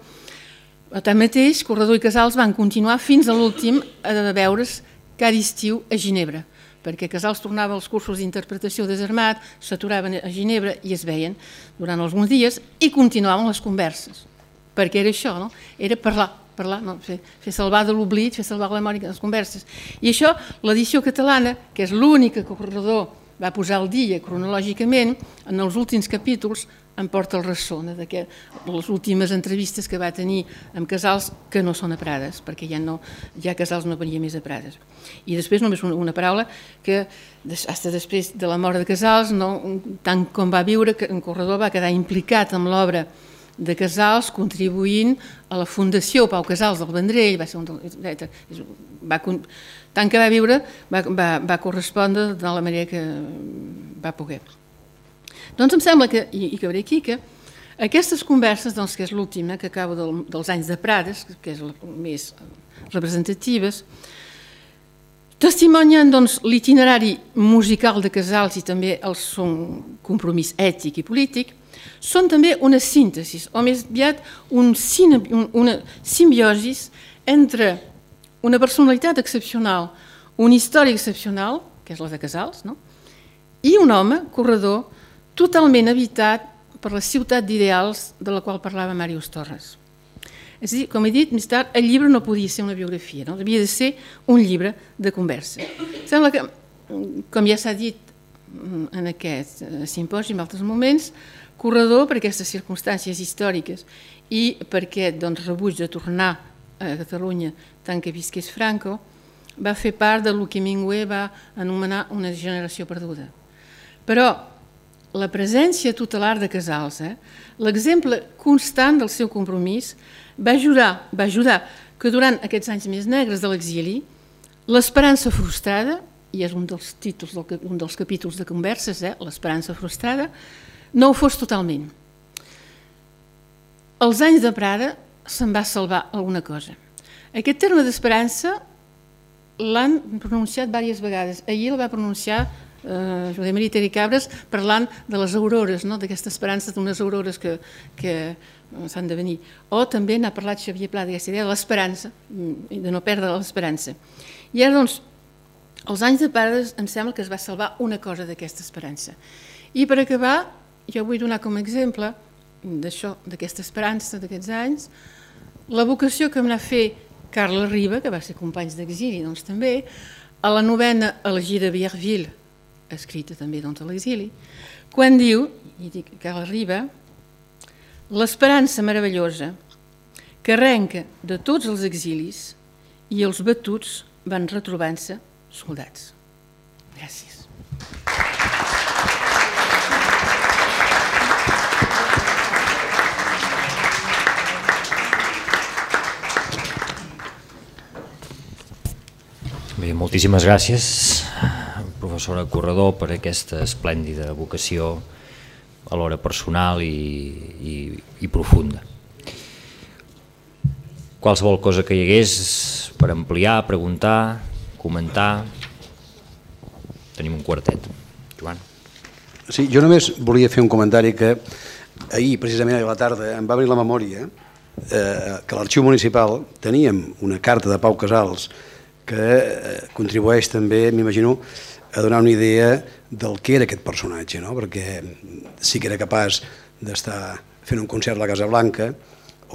[SPEAKER 2] Tanmateix, Corredor i Casals van continuar fins a l'últim a veure's cada estiu a Ginebra, perquè Casals tornava als cursos d'interpretació desarmat, s'aturaven a Ginebra i es veien durant alguns dies i continuaven les converses, perquè era això, era parlar, fer salvar de l'oblit, fer salvar la memòria de les converses. I això, l'edició catalana, que és l'única que Corredor va posar al dia cronològicament, en els últims capítols em porta el ressò de les últimes entrevistes que va tenir amb Casals, que no són a Prades, perquè ja Casals no venia més a Prades. I després només una paraula, que fins després de la mort de Casals, tant com va viure, que en Corredor va quedar implicat amb l'obra de Casals, contribuint a la Fundació Pau Casals del Vendrell, tant que va viure va correspondre de la manera que va poder. Doncs em sembla que, i acabaré aquí, que aquestes converses, que és l'última, que acabo dels anys de Prades, que és les més representatives, testimonien l'itinerari musical de Casals i també el seu compromís ètic i polític. Són també una síntesi, o més aviat una simbiosi entre una personalitat excepcional, una història excepcional, que és la de Casals, i un home, Corredor, totalment habitat per la ciutat d'ideals de la qual parlava Màrius Torres. És a dir, com he dit més tard, el llibre no podia ser una biografia, havia de ser un llibre de conversa. Sembla que, com ja s'ha dit en aquest simposi en altres moments, Corredor, per aquestes circumstàncies històriques i per aquest rebuig de tornar a Catalunya tant que visqués Franco, va fer part del que Hemingway va anomenar una generació perduda. Però la presència tutelar de Casals, l'exemple constant del seu compromís, va ajudar que durant aquests anys més negres de l'exili, l'esperança frustrada, i és un dels capítols de converses, l'esperança frustrada, no ho fos totalment. Els anys de Prada se'n va salvar alguna cosa. Aquest terme d'esperança l'han pronunciat diverses vegades. Ahir el va pronunciar José María Terricabras parlant de les aurores, d'aquesta esperança d'unes aurores que s'han de venir. O també n'ha parlat Xavier Pla d'aquesta idea de l'esperança, de no perdre l'esperança. I ara, doncs, els anys de Prades em sembla que es va salvar una cosa d'aquesta esperança. I per acabar, jo vull donar com a exemple d'això, d'aquesta esperança d'aquests anys, la vocació que em va fer Carles Riba, que va ser companys d'exili, doncs també, a la novena Elegida de Vierville, escrita també a l'exili, quan diu, i dic Carles Riba, l'esperança meravellosa que arrenca de tots els exilis i els batuts van retrobant-se soldats. Gràcies.
[SPEAKER 1] Bé, moltíssimes gràcies, professora Corredor, per aquesta esplèndida vocació alhora personal i profunda. Qualsevol cosa que hi hagués per ampliar, preguntar, comentar. Tenim un quartet. Joan.
[SPEAKER 3] Sí, jo només volia fer un comentari que ahir, precisament a la tarda, em va venir la memòria que a l'Arxiu Municipal teníem una carta de Pau Casals que contribueix també, m'imagino, a donar una idea del que era aquest personatge, no? Perquè sí que era capaç d'estar fent un concert a la Casa Blanca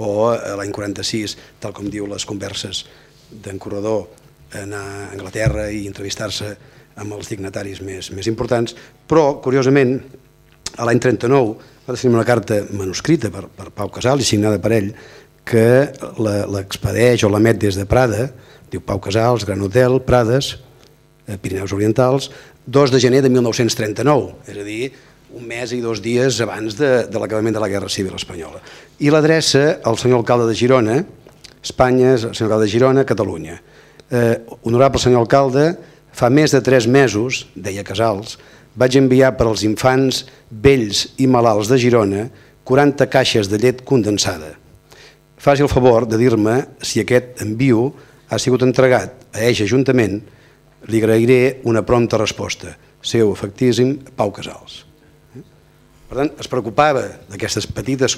[SPEAKER 3] o l'any 46, tal com diu les converses d'en Corredor, anar a Anglaterra i entrevistar-se amb els dignataris més importants, però, curiosament, a l'any 39 va tenir una carta manuscrita per Pau Casals i signada per ell que l'expedeix o l'emet des de Prada, diu Pau Casals, Gran Hotel, Prades, Pirineus Orientals, 2 de gener de 1939, és a dir, un mes i 2 dies abans de l'acabament de la Guerra Civil Espanyola. I l'adreça al senyor alcalde de Girona, Espanya, senyor alcalde de Girona, Catalunya. Honorable senyor alcalde, fa més de 3 mesos, deia Casals, vaig enviar per als infants vells i malalts de Girona 40 caixes de llet condensada. Faci el favor de dir-me si aquest envio ha sigut entregat a Eix Ajuntament, li agrairé una prompta resposta. Seu efectíssim, Pau Casals. Per tant, es preocupava d'aquestes petites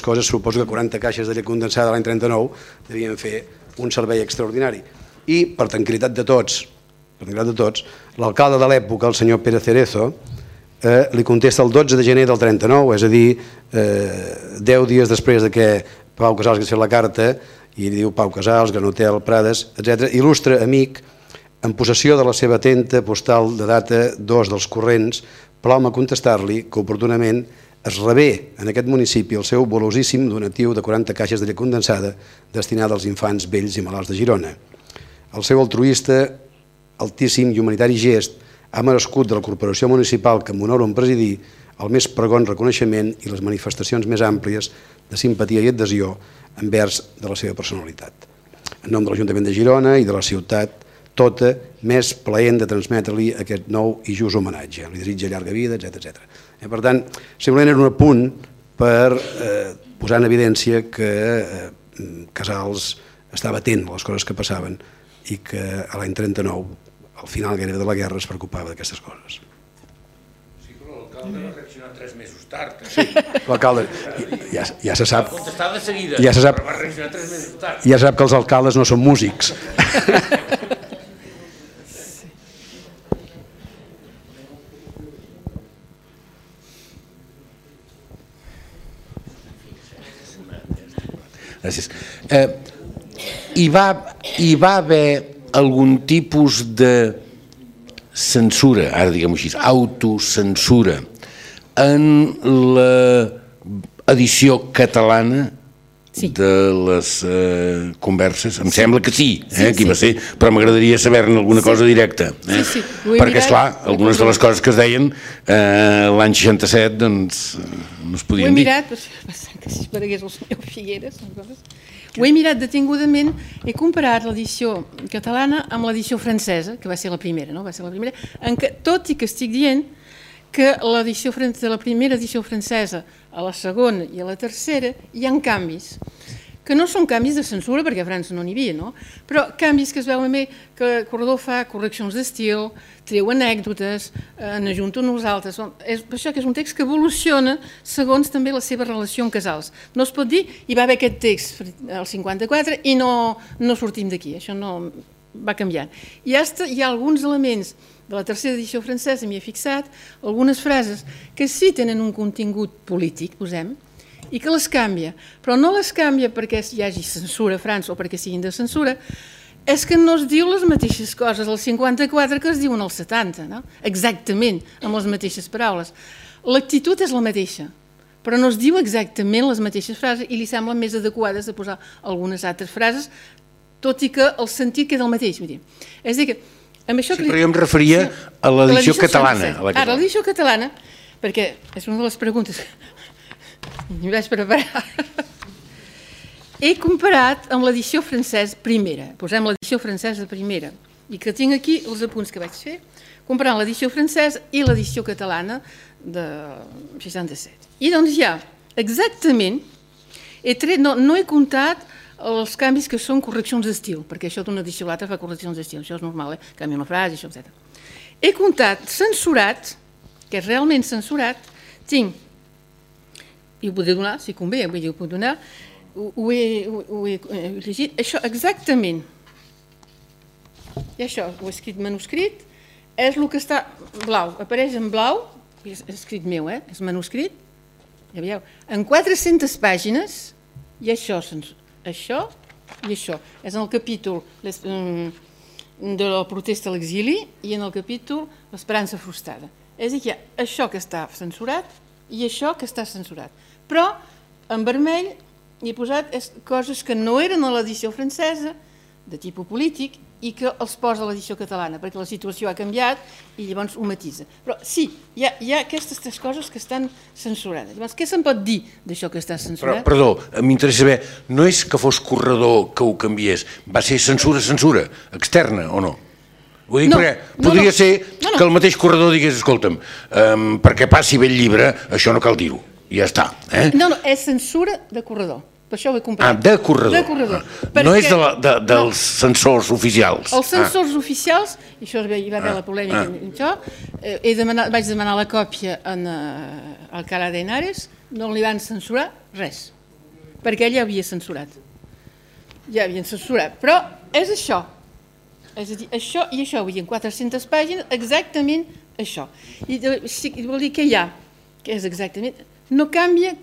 [SPEAKER 3] coses. Suposo que 40 caixes de llet condensada l'any 39 devien fer un servei extraordinari. I, per tranquil·litat de tots, l'alcalde de l'època, el senyor Pérez Cerezo, li contesta el 12 de gener del 39, és a dir, 10 dies després que Pau Casals hagués fet la carta, i diu Pau Casals, Gran Hotel, Prades, etc. Il·lustre amic, en possessió de la seva atenta postal de data 2 dels corrents, plau-me contestar-li que oportunament es rebé en aquest municipi el seu volosíssim donatiu de 40 caixes de llet condensada destinada als infants vells i malalts de Girona. El seu altruista, altíssim i humanitari gest ha merescut de la corporació municipal que m'honoro en presidir el més pregon reconeixement i les manifestacions més àmplies de simpatia i adhesió envers de la seva personalitat. En nom de l'Ajuntament de Girona i de la ciutat tota, més plaent de transmetre-li aquest nou i just homenatge. Li desitja llarga vida, etc. Per tant, simplement era un apunt per posar en evidència que Casals estava atent a les coses que passaven i que a l'any 39, al final gairebé de la guerra, es preocupava d'aquestes coses.
[SPEAKER 4] Sí, però l'alcalde va reaccionar 3 mesos tard.
[SPEAKER 3] Sí, l'alcalde ja se sap.
[SPEAKER 4] Va contestar de seguida,
[SPEAKER 3] però
[SPEAKER 4] va reaccionar 3 mesos tard.
[SPEAKER 3] Ja se sap que els alcaldes no són músics.
[SPEAKER 4] Gràcies. Hi va haver algun tipus de censura, ara diguem-ho així, autocensura, en l'edició catalana de les converses? Em sembla que sí, aquí va ser, però m'agradaria saber-ne alguna cosa directa. Perquè, esclar, algunes de les coses que es deien l'any 67 doncs no es podien dir.
[SPEAKER 2] Ho he mirat, que si aparegués el senyor Figueres, ho he mirat detingudament, he comparat l'edició catalana amb l'edició francesa, que va ser la primera, no? Va ser la primera, en què, tot i que estic dient que de la primera edició francesa a la segona i a la tercera hi ha canvis, que no són canvis de censura, perquè a França no n'hi havia, no? Però canvis que es veuen bé, que Corredor fa correccions d'estil, treu anècdotes, n'ajunta uns altres. Per això que és un text que evoluciona segons també la seva relació amb Casals. No es pot dir, hi va haver aquest text al 54 i no sortim d'aquí, això no va canviant. Hi ha alguns elements de la tercera edició francesa, m'hi he fixat, algunes frases que sí tenen un contingut polític, posem, i que les canvia, però no les canvia perquè hi hagi censura a França o perquè siguin de censura, és que no es diu les mateixes coses al 54 que es diuen al 70, no? Exactament, amb les mateixes paraules. L'actitud és la mateixa, però no es diu exactament les mateixes frases i li semblen més adequades de posar algunes altres frases tot i que el sentit queda el mateix. És a dir, que amb això...
[SPEAKER 4] Sí, però jo em referia a l'edició catalana.
[SPEAKER 2] Ara, l'edició catalana, perquè és una de les preguntes que m'hi vaig preparar. He comparat amb l'edició francesa primera, posem l'edició francesa primera, i que tinc aquí els apunts que vaig fer, comparant l'edició francesa i l'edició catalana de 67. I doncs ja, exactament, no he comptat els canvis que són correccions d'estil, perquè això d'una edició a l'altra fa correccions d'estil, això és normal, canvia una frase, això, etc. He comptat censurat, que és realment censurat, tinc, i ho podré donar, si convé, vull dir, ho puc donar, ho he llegit, això exactament, i això, ho he escrit manuscrit, és el que està blau, apareix en blau, és escrit meu, és manuscrit, ja veieu, en 400 pàgines, i això i això, és en el capítol de la protesta a l'exili i en el capítol l'esperança frustrada. És a dir, això que està censurat i això que està censurat. Però en vermell hi he posat coses que no eren a l'edició francesa, de tipus polític, i que els posa a l'edició catalana, perquè la situació ha canviat i llavors ho matisa. Però sí, hi ha aquestes tres coses que estan censurades. Llavors, què se'n pot dir d'això que està censurat?
[SPEAKER 4] Però, perdó, m'interessa saber, no és que fos Corredor que ho canviés, va ser censura externa o no? Vull dir, perquè podria ser que el mateix Corredor digués, escolta'm, perquè passi bé el llibre, això no cal dir-ho, i ja està.
[SPEAKER 2] No, és censura de Corredor. Per això ho he comparat.
[SPEAKER 4] De Corredor. No és dels censors oficials.
[SPEAKER 2] Els censors oficials, i això hi va haver la polèmica amb això, vaig demanar la còpia al Alcalá de Henares, no li van censurar res, perquè ell ja havia censurat. Ja havien censurat, però és això. És a dir, això i això, vull dir, en 400 pàgines, exactament això. I vol dir que hi ha, que és exactament, no canvia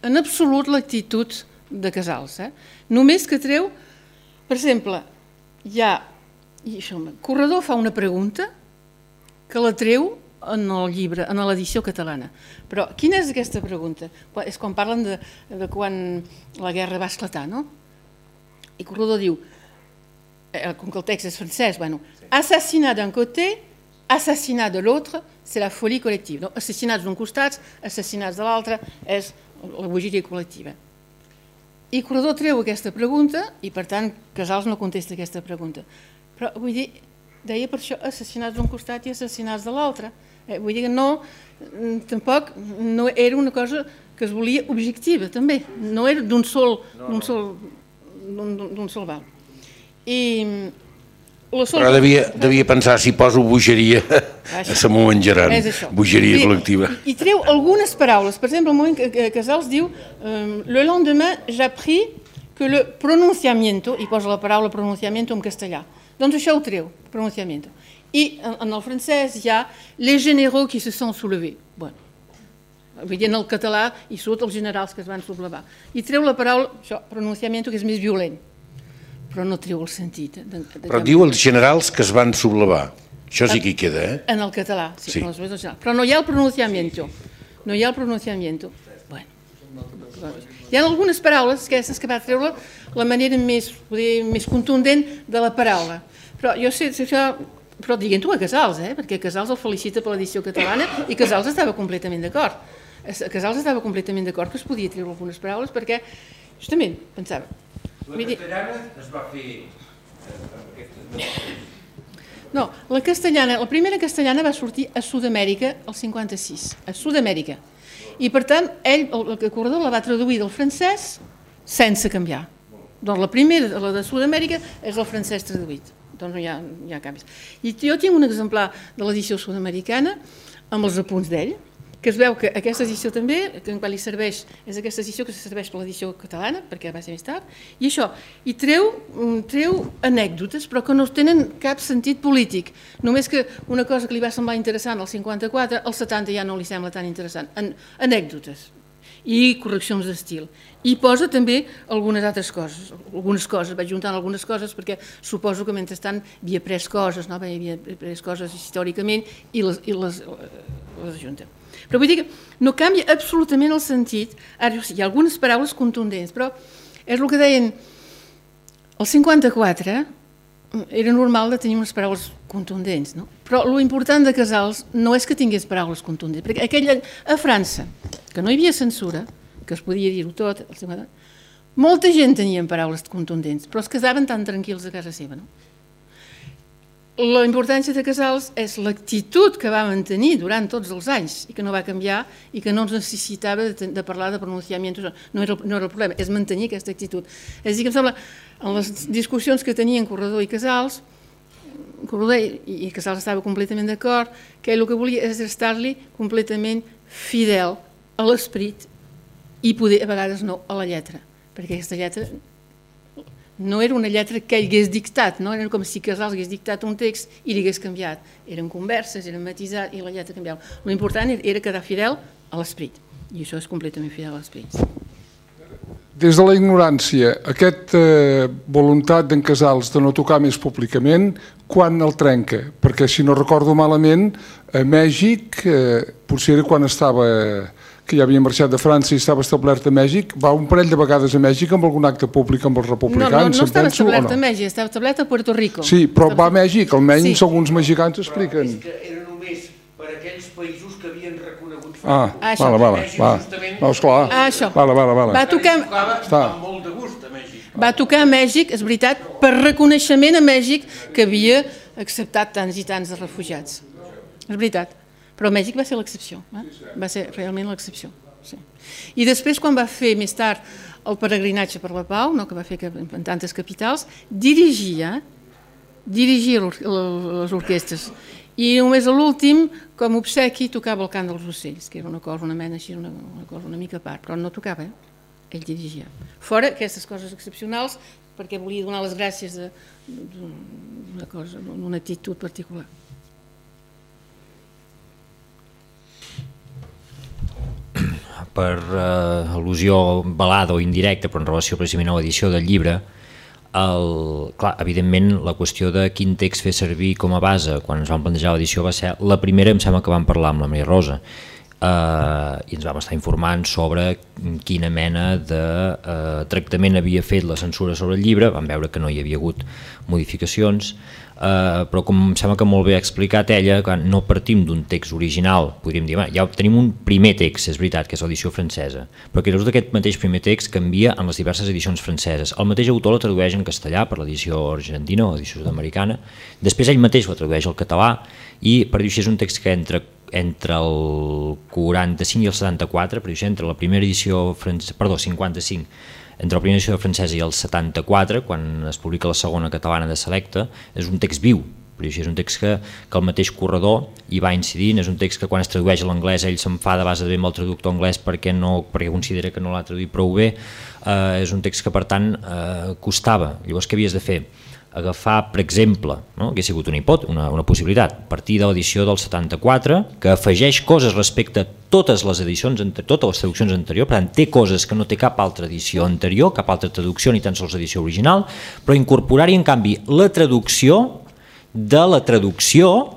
[SPEAKER 2] en absolut l'actitud de Casals. Només que treu, per exemple, Corredor fa una pregunta que la treu en el llibre, en l'edició catalana. Però quina és aquesta pregunta? És quan parlen de quan la guerra va esclatar, no? I Corredor diu, com que el text és francès, assassinat d'un côté, assassinat de l'altre, c'est la folie collective. Assassinats d'un costat, assassinats de l'altre, és la bogeria col·lectiva. I Corredor treu aquesta pregunta i, per tant, Casals no contesta aquesta pregunta. Però, vull dir, deia per això assassinats d'un costat i assassinats de l'altre. Vull dir que no, tampoc no era una cosa que es volia objectiva, també. No era d'un sol val.
[SPEAKER 4] Però devia pensar, si poso bogeria, se m'ho menjaran. Bogeria col·lectiva.
[SPEAKER 2] I treu algunes paraules. Per exemple, el moment que Casals diu le lendemain j'appris que le pronunciamiento, i posa la paraula pronunciamiento en castellà. Doncs això ho treu, pronunciamiento. I en el francès hi ha les généraux qui se sont soulevés. Vull dir, en el català hi surt els generals que es van sublevar. I treu la paraula, això, pronunciamiento, que és més violent. Però no treu el sentit.
[SPEAKER 4] Però diu els generals que es van sublevar. Això sí que hi queda,
[SPEAKER 2] En el català, sí. Però no hi ha el pronunciamiento. No hi ha el pronunciamiento. Hi ha algunes paraules que va treure la manera més contundent de la paraula. Però jo sé això... Però diguent-ho a Casals, perquè Casals el felicita per l'edició catalana i Casals estava completament d'acord. Casals estava completament d'acord que es podia treure algunes paraules perquè, justament, pensava...
[SPEAKER 5] La castellana es va fer...
[SPEAKER 2] No, la primera castellana va sortir a Sud-amèrica el 56, a Sud-amèrica. I per tant, ell, el Corredor, la va traduir del francès sense canviar. Doncs la primera, la de Sud-amèrica, és el francès traduït. Doncs no hi ha canvis. I jo tinc un exemplar de l'edició sud-americana amb els apunts d'ell, que es veu que aquesta edició també, que en qual li serveix, és aquesta edició que serveix per l'edició catalana, perquè va ser més tard, i això, i treu anècdotes, però que no tenen cap sentit polític. Només que una cosa que li va semblar interessant al 54, al 70 ja no li sembla tan interessant. Anècdotes i correccions d'estil. I posa també algunes altres coses, vaig juntant algunes coses perquè suposo que mentrestant havia pres coses, havia pres coses històricament i les ajunta. Però vull dir que no canvia absolutament el sentit. Ara, hi ha algunes paraules contundents, però és el que deien El 54 era normal de tenir unes paraules contundents, no? Però l'important de Casals no és que tingués paraules contundents, perquè a França, que no hi havia censura, que es podia dir-ho tot, molta gent tenia paraules contundents, però es quedaven tan tranquils a casa seva, no? La importància de Casals és l'actitud que va mantenir durant tots els anys i que no va canviar i que no ens necessitava de parlar de pronunciamientos, no era el problema, és mantenir aquesta actitud. És a dir, que em sembla, en les discussions que tenien Corredor i Casals, Corredor i Casals estava completament d'acord, que ell el que volia és estar-li completament fidel a l'esperit i poder, a vegades no, a la lletra, perquè aquesta lletra no era una lletra que ell hagués dictat, no? Era com si Casals hagués dictat un text i li hagués canviat. Eren converses, eren matisats i la lletra canviava. L'important era quedar fidel a l'esperit, i això és completament fidel a l'esperit.
[SPEAKER 6] Des de la ignorància, aquesta voluntat d'en Casals de no tocar més públicament, quan el trenca? Perquè, si no recordo malament, a Mèxic, potser era quan estava, que ja havia marxat de França i estava establert a Mèxic, va un parell de vegades a Mèxic amb algun acte públic amb els republicans.
[SPEAKER 2] No estava establert a Mèxic, estava establert a Puerto Rico.
[SPEAKER 6] Sí, però va a Mèxic, almenys alguns mexicans expliquen.
[SPEAKER 5] És que era només per aquells països que havien reconegut
[SPEAKER 6] França. No, esclar.
[SPEAKER 2] Això.
[SPEAKER 6] Va
[SPEAKER 2] tocar
[SPEAKER 5] amb molt de gust a Mèxic.
[SPEAKER 2] Va tocar a Mèxic, és veritat, per reconeixement a Mèxic que havia acceptat tants i tants de refugiats. És veritat. Però Mèxic va ser l'excepció, va ser realment l'excepció. Sí. I després, quan va fer més tard el peregrinatge per la pau, que va fer en tantes capitals, dirigia les orquestres. I només a l'últim, com obsequi, tocava el cant dels ocells, que era una cosa, una mena així, una cosa una mica a part, però no tocava, ell dirigia. Fora aquestes coses excepcionals, perquè volia donar les gràcies d'una cosa, d'una actitud particular.
[SPEAKER 1] Per al·lusió velada o indirecta, però en relació precisament a l'edició del llibre, clar, evidentment la qüestió de quin text fer servir com a base quan ens vam plantejar l'edició va ser la primera, em sembla que vam parlar amb la Maria Rosa, i ens vam estar informant sobre quina mena de tractament havia fet la censura sobre el llibre. Vam veure que no hi havia hagut modificacions, però com em sembla que molt bé ha explicat ella, no partim d'un text original, podríem dir, ja tenim un primer text, és veritat, que és l'edició francesa, però que d'aquest mateix primer text canvia en les diverses edicions franceses. El mateix autor la tradueix en castellà per l'edició argentina o l'edició sud-americana, després ell mateix la tradueix al català, i per dir així és un text que entre el 45 i el 74, per dir així, entre la primera edició francesa, perdó, 55, entre la primera edició francesa i el 74, quan es publica la segona catalana de Selecta, és un text viu, però és un text que el mateix Corredor hi va incidint, és un text que quan es tradueix a l'anglès ell s'enfada a base de bé amb el traductor anglès perquè considera que no l'ha traduït prou bé, és un text que per tant costava. Llavors què havies de fer? Agafar, per exemple, que ha sigut una possibilitat, partir de l'edició del 74, que afegeix coses respecte a totes les edicions, totes les traduccions anteriors, per tant té coses que no té cap altra edició anterior, cap altra traducció, ni tan sols edició original, però incorporar-hi en canvi la traducció de la traducció,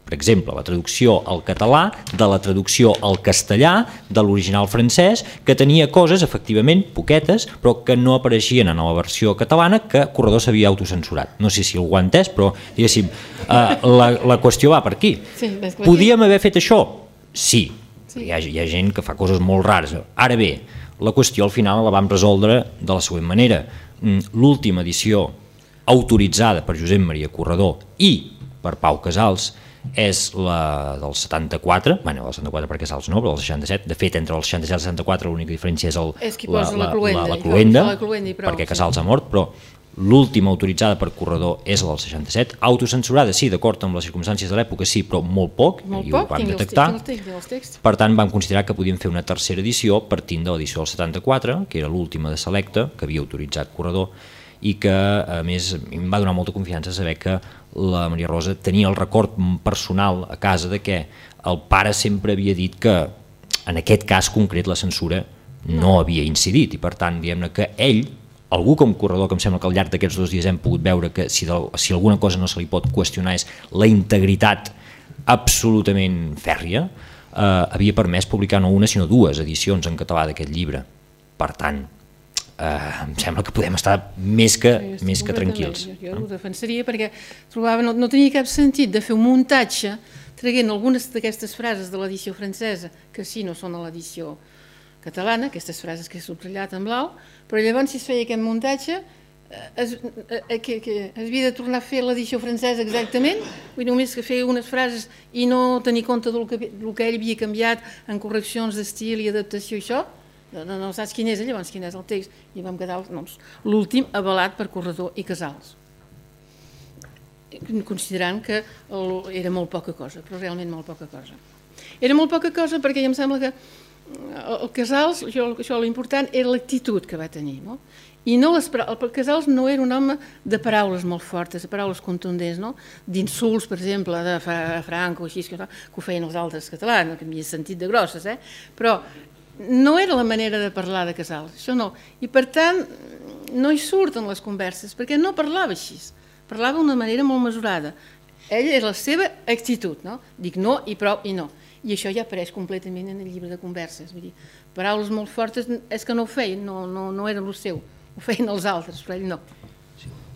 [SPEAKER 1] per exemple, la traducció al català, de la traducció al castellà, de l'original francès, que tenia coses, efectivament, poquetes, però que no apareixien en la versió catalana, que Corredor s'havia autocensurat. No sé si algú ha entès, però diguéssim, la qüestió va per aquí. Podíem haver fet això? Sí. Hi ha gent que fa coses molt rares. Ara bé, la qüestió al final la vam resoldre de la següent manera. L'última edició autoritzada per Josep Maria Corredor i per Pau Casals és la del 74, bueno, el 74 per Casals no, però el 67, de fet entre el 67 i el 74 l'única diferència és la cloenda, perquè Casals ha mort, però l'última autoritzada per Corredor és la del 67, autocensurada sí, d'acord amb les circumstàncies de l'època sí, però molt poc, i ho vam detectar, per tant vam considerar que podíem fer una tercera edició partint de l'edició del 74, que era l'última de Selecta, que havia autoritzat Corredor, i que a més em va donar molta confiança saber que la Maria Rosa tenia el record personal a casa de que el pare sempre havia dit que en aquest cas concret la censura no havia incidit i per tant diguem-ne que ell, algú com Corredor, que em sembla que al llarg d'aquests 2 dies hem pogut veure que si alguna cosa no se li pot qüestionar és la integritat absolutament fèrria, havia permès publicar no una sinó 2 edicions en català d'aquest llibre. Per tant, em sembla que podem estar més que tranquils.
[SPEAKER 2] Jo ho defensaria perquè trobava, no tenia cap sentit de fer un muntatge traient algunes d'aquestes frases de l'edició francesa, que sí, no són a l'edició catalana, aquestes frases que he subratllat en blau, però llavors si es feia aquest muntatge es havia de tornar a fer l'edició francesa exactament, vull dir, només que feia unes frases i no tenir compte del que ell havia canviat en correccions d'estil i adaptació i això, no saps quin és, llavors quin és el text, i vam quedar l'últim avalat per Corredor i Casals, considerant que era molt poca cosa, però realment molt poca cosa. Era molt poca cosa perquè em sembla que el Casals, això l'important era l'actitud que va tenir, no? I el Casals no era un home de paraules molt fortes, de paraules contundents, no? D'insults, per exemple, de Franco, així, que ho feien els altres catalans, que havia sentit de grosses, però no era la manera de parlar de Casals, això no. I per tant, no hi surten les converses, perquè no parlava així, parlava d'una manera molt mesurada. Ella és la seva actitud, no? Dic no i prou i no. I això ja apareix completament en el llibre de converses. Vull dir, paraules molt fortes és que no ho feien, no era el seu. Ho feien els altres, però ell no.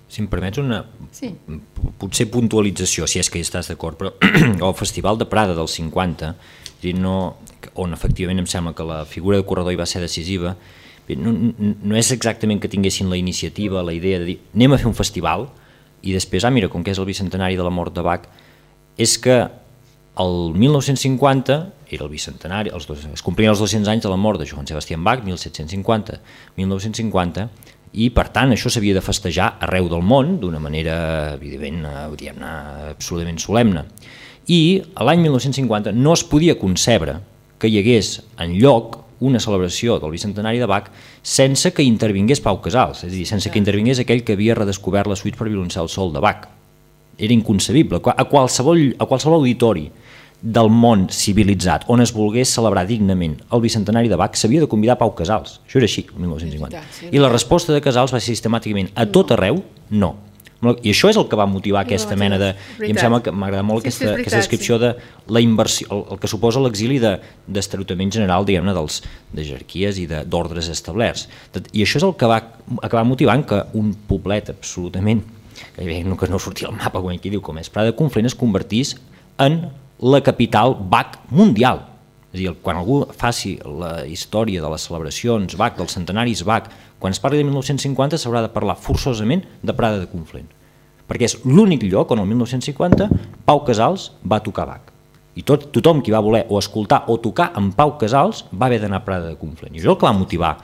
[SPEAKER 1] Si em permets una potser puntualització, si és que hi estàs d'acord, però el Festival de Prada del 50, on efectivament em sembla que la figura de Corredor hi va ser decisiva, no és exactament que tinguessin la iniciativa, la idea de dir anem a fer un festival i després, mira, com que és el bicentenari de la mort de Bach, és que el 1950 era el bicentenari, es complien els 200 anys de la mort de Johann Sebastian Bach, 1750-1950, i per tant això s'havia de festejar arreu del món d'una manera, evidentment, absolutament solemne. I l'any 1950 no es podia concebre que hi hagués enlloc una celebració del bicentenari de Bach sense que intervingués Pau Casals, és a dir, sense que intervingués aquell que havia redescobert la suite per violoncel sol de Bach. Era inconcebible. A qualsevol auditori del món civilitzat on es volgués celebrar dignament el bicentenari de Bach s'havia de convidar Pau Casals. Això era així, el 1950. I la resposta de Casals va ser sistemàticament a tot arreu, no. I això és el que va motivar aquesta mena de... I em sembla que m'agrada molt aquesta descripció de la inversió, el que suposa l'exili d'esterotament general, diguem-ne, de jerarquies i d'ordres establerts. I això és el que va acabar motivant que un poblet absolutament, que no sortia al mapa, com aquí diu, com és Prada de Conflent, es convertís en la capital Bach mundial. És a dir, quan algú faci la història de les celebracions Bach, dels centenaris Bach, quan es parli de 1950 s'haurà de parlar forçosament de Prada de Conflent, perquè és l'únic lloc on el 1950 Pau Casals va tocar Bach. I tothom qui va voler o escoltar o tocar amb Pau Casals va haver d'anar a Prada de Conflent. I això és el que va motivar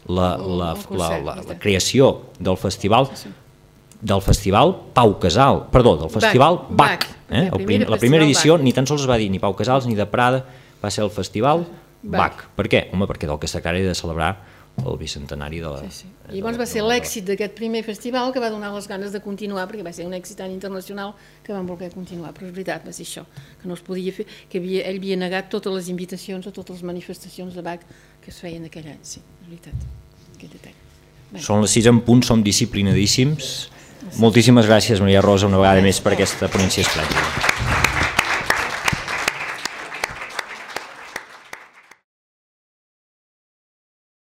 [SPEAKER 1] la creació del festival Pau Casals, perdó, del festival Bach. La primera edició ni tan sols es va dir ni Pau Casals ni de Prada, va ser el festival Bach. Per què? Home, perquè del que es tractava era de celebrar el bicentenari de la...
[SPEAKER 2] I llavors va ser l'èxit d'aquest primer festival que va donar les ganes de continuar, perquè va ser un èxit tan internacional que van voler continuar, però és veritat, va ser això, que no es podia fer, que ell havia negat totes les invitacions a totes les manifestacions de Bach que es feien aquell any, sí, és veritat, aquell detall.
[SPEAKER 1] Són les 6 en punt, som disciplinadíssims. Moltíssimes gràcies, Maria Rosa, una vegada més per aquesta ponència esplèndida.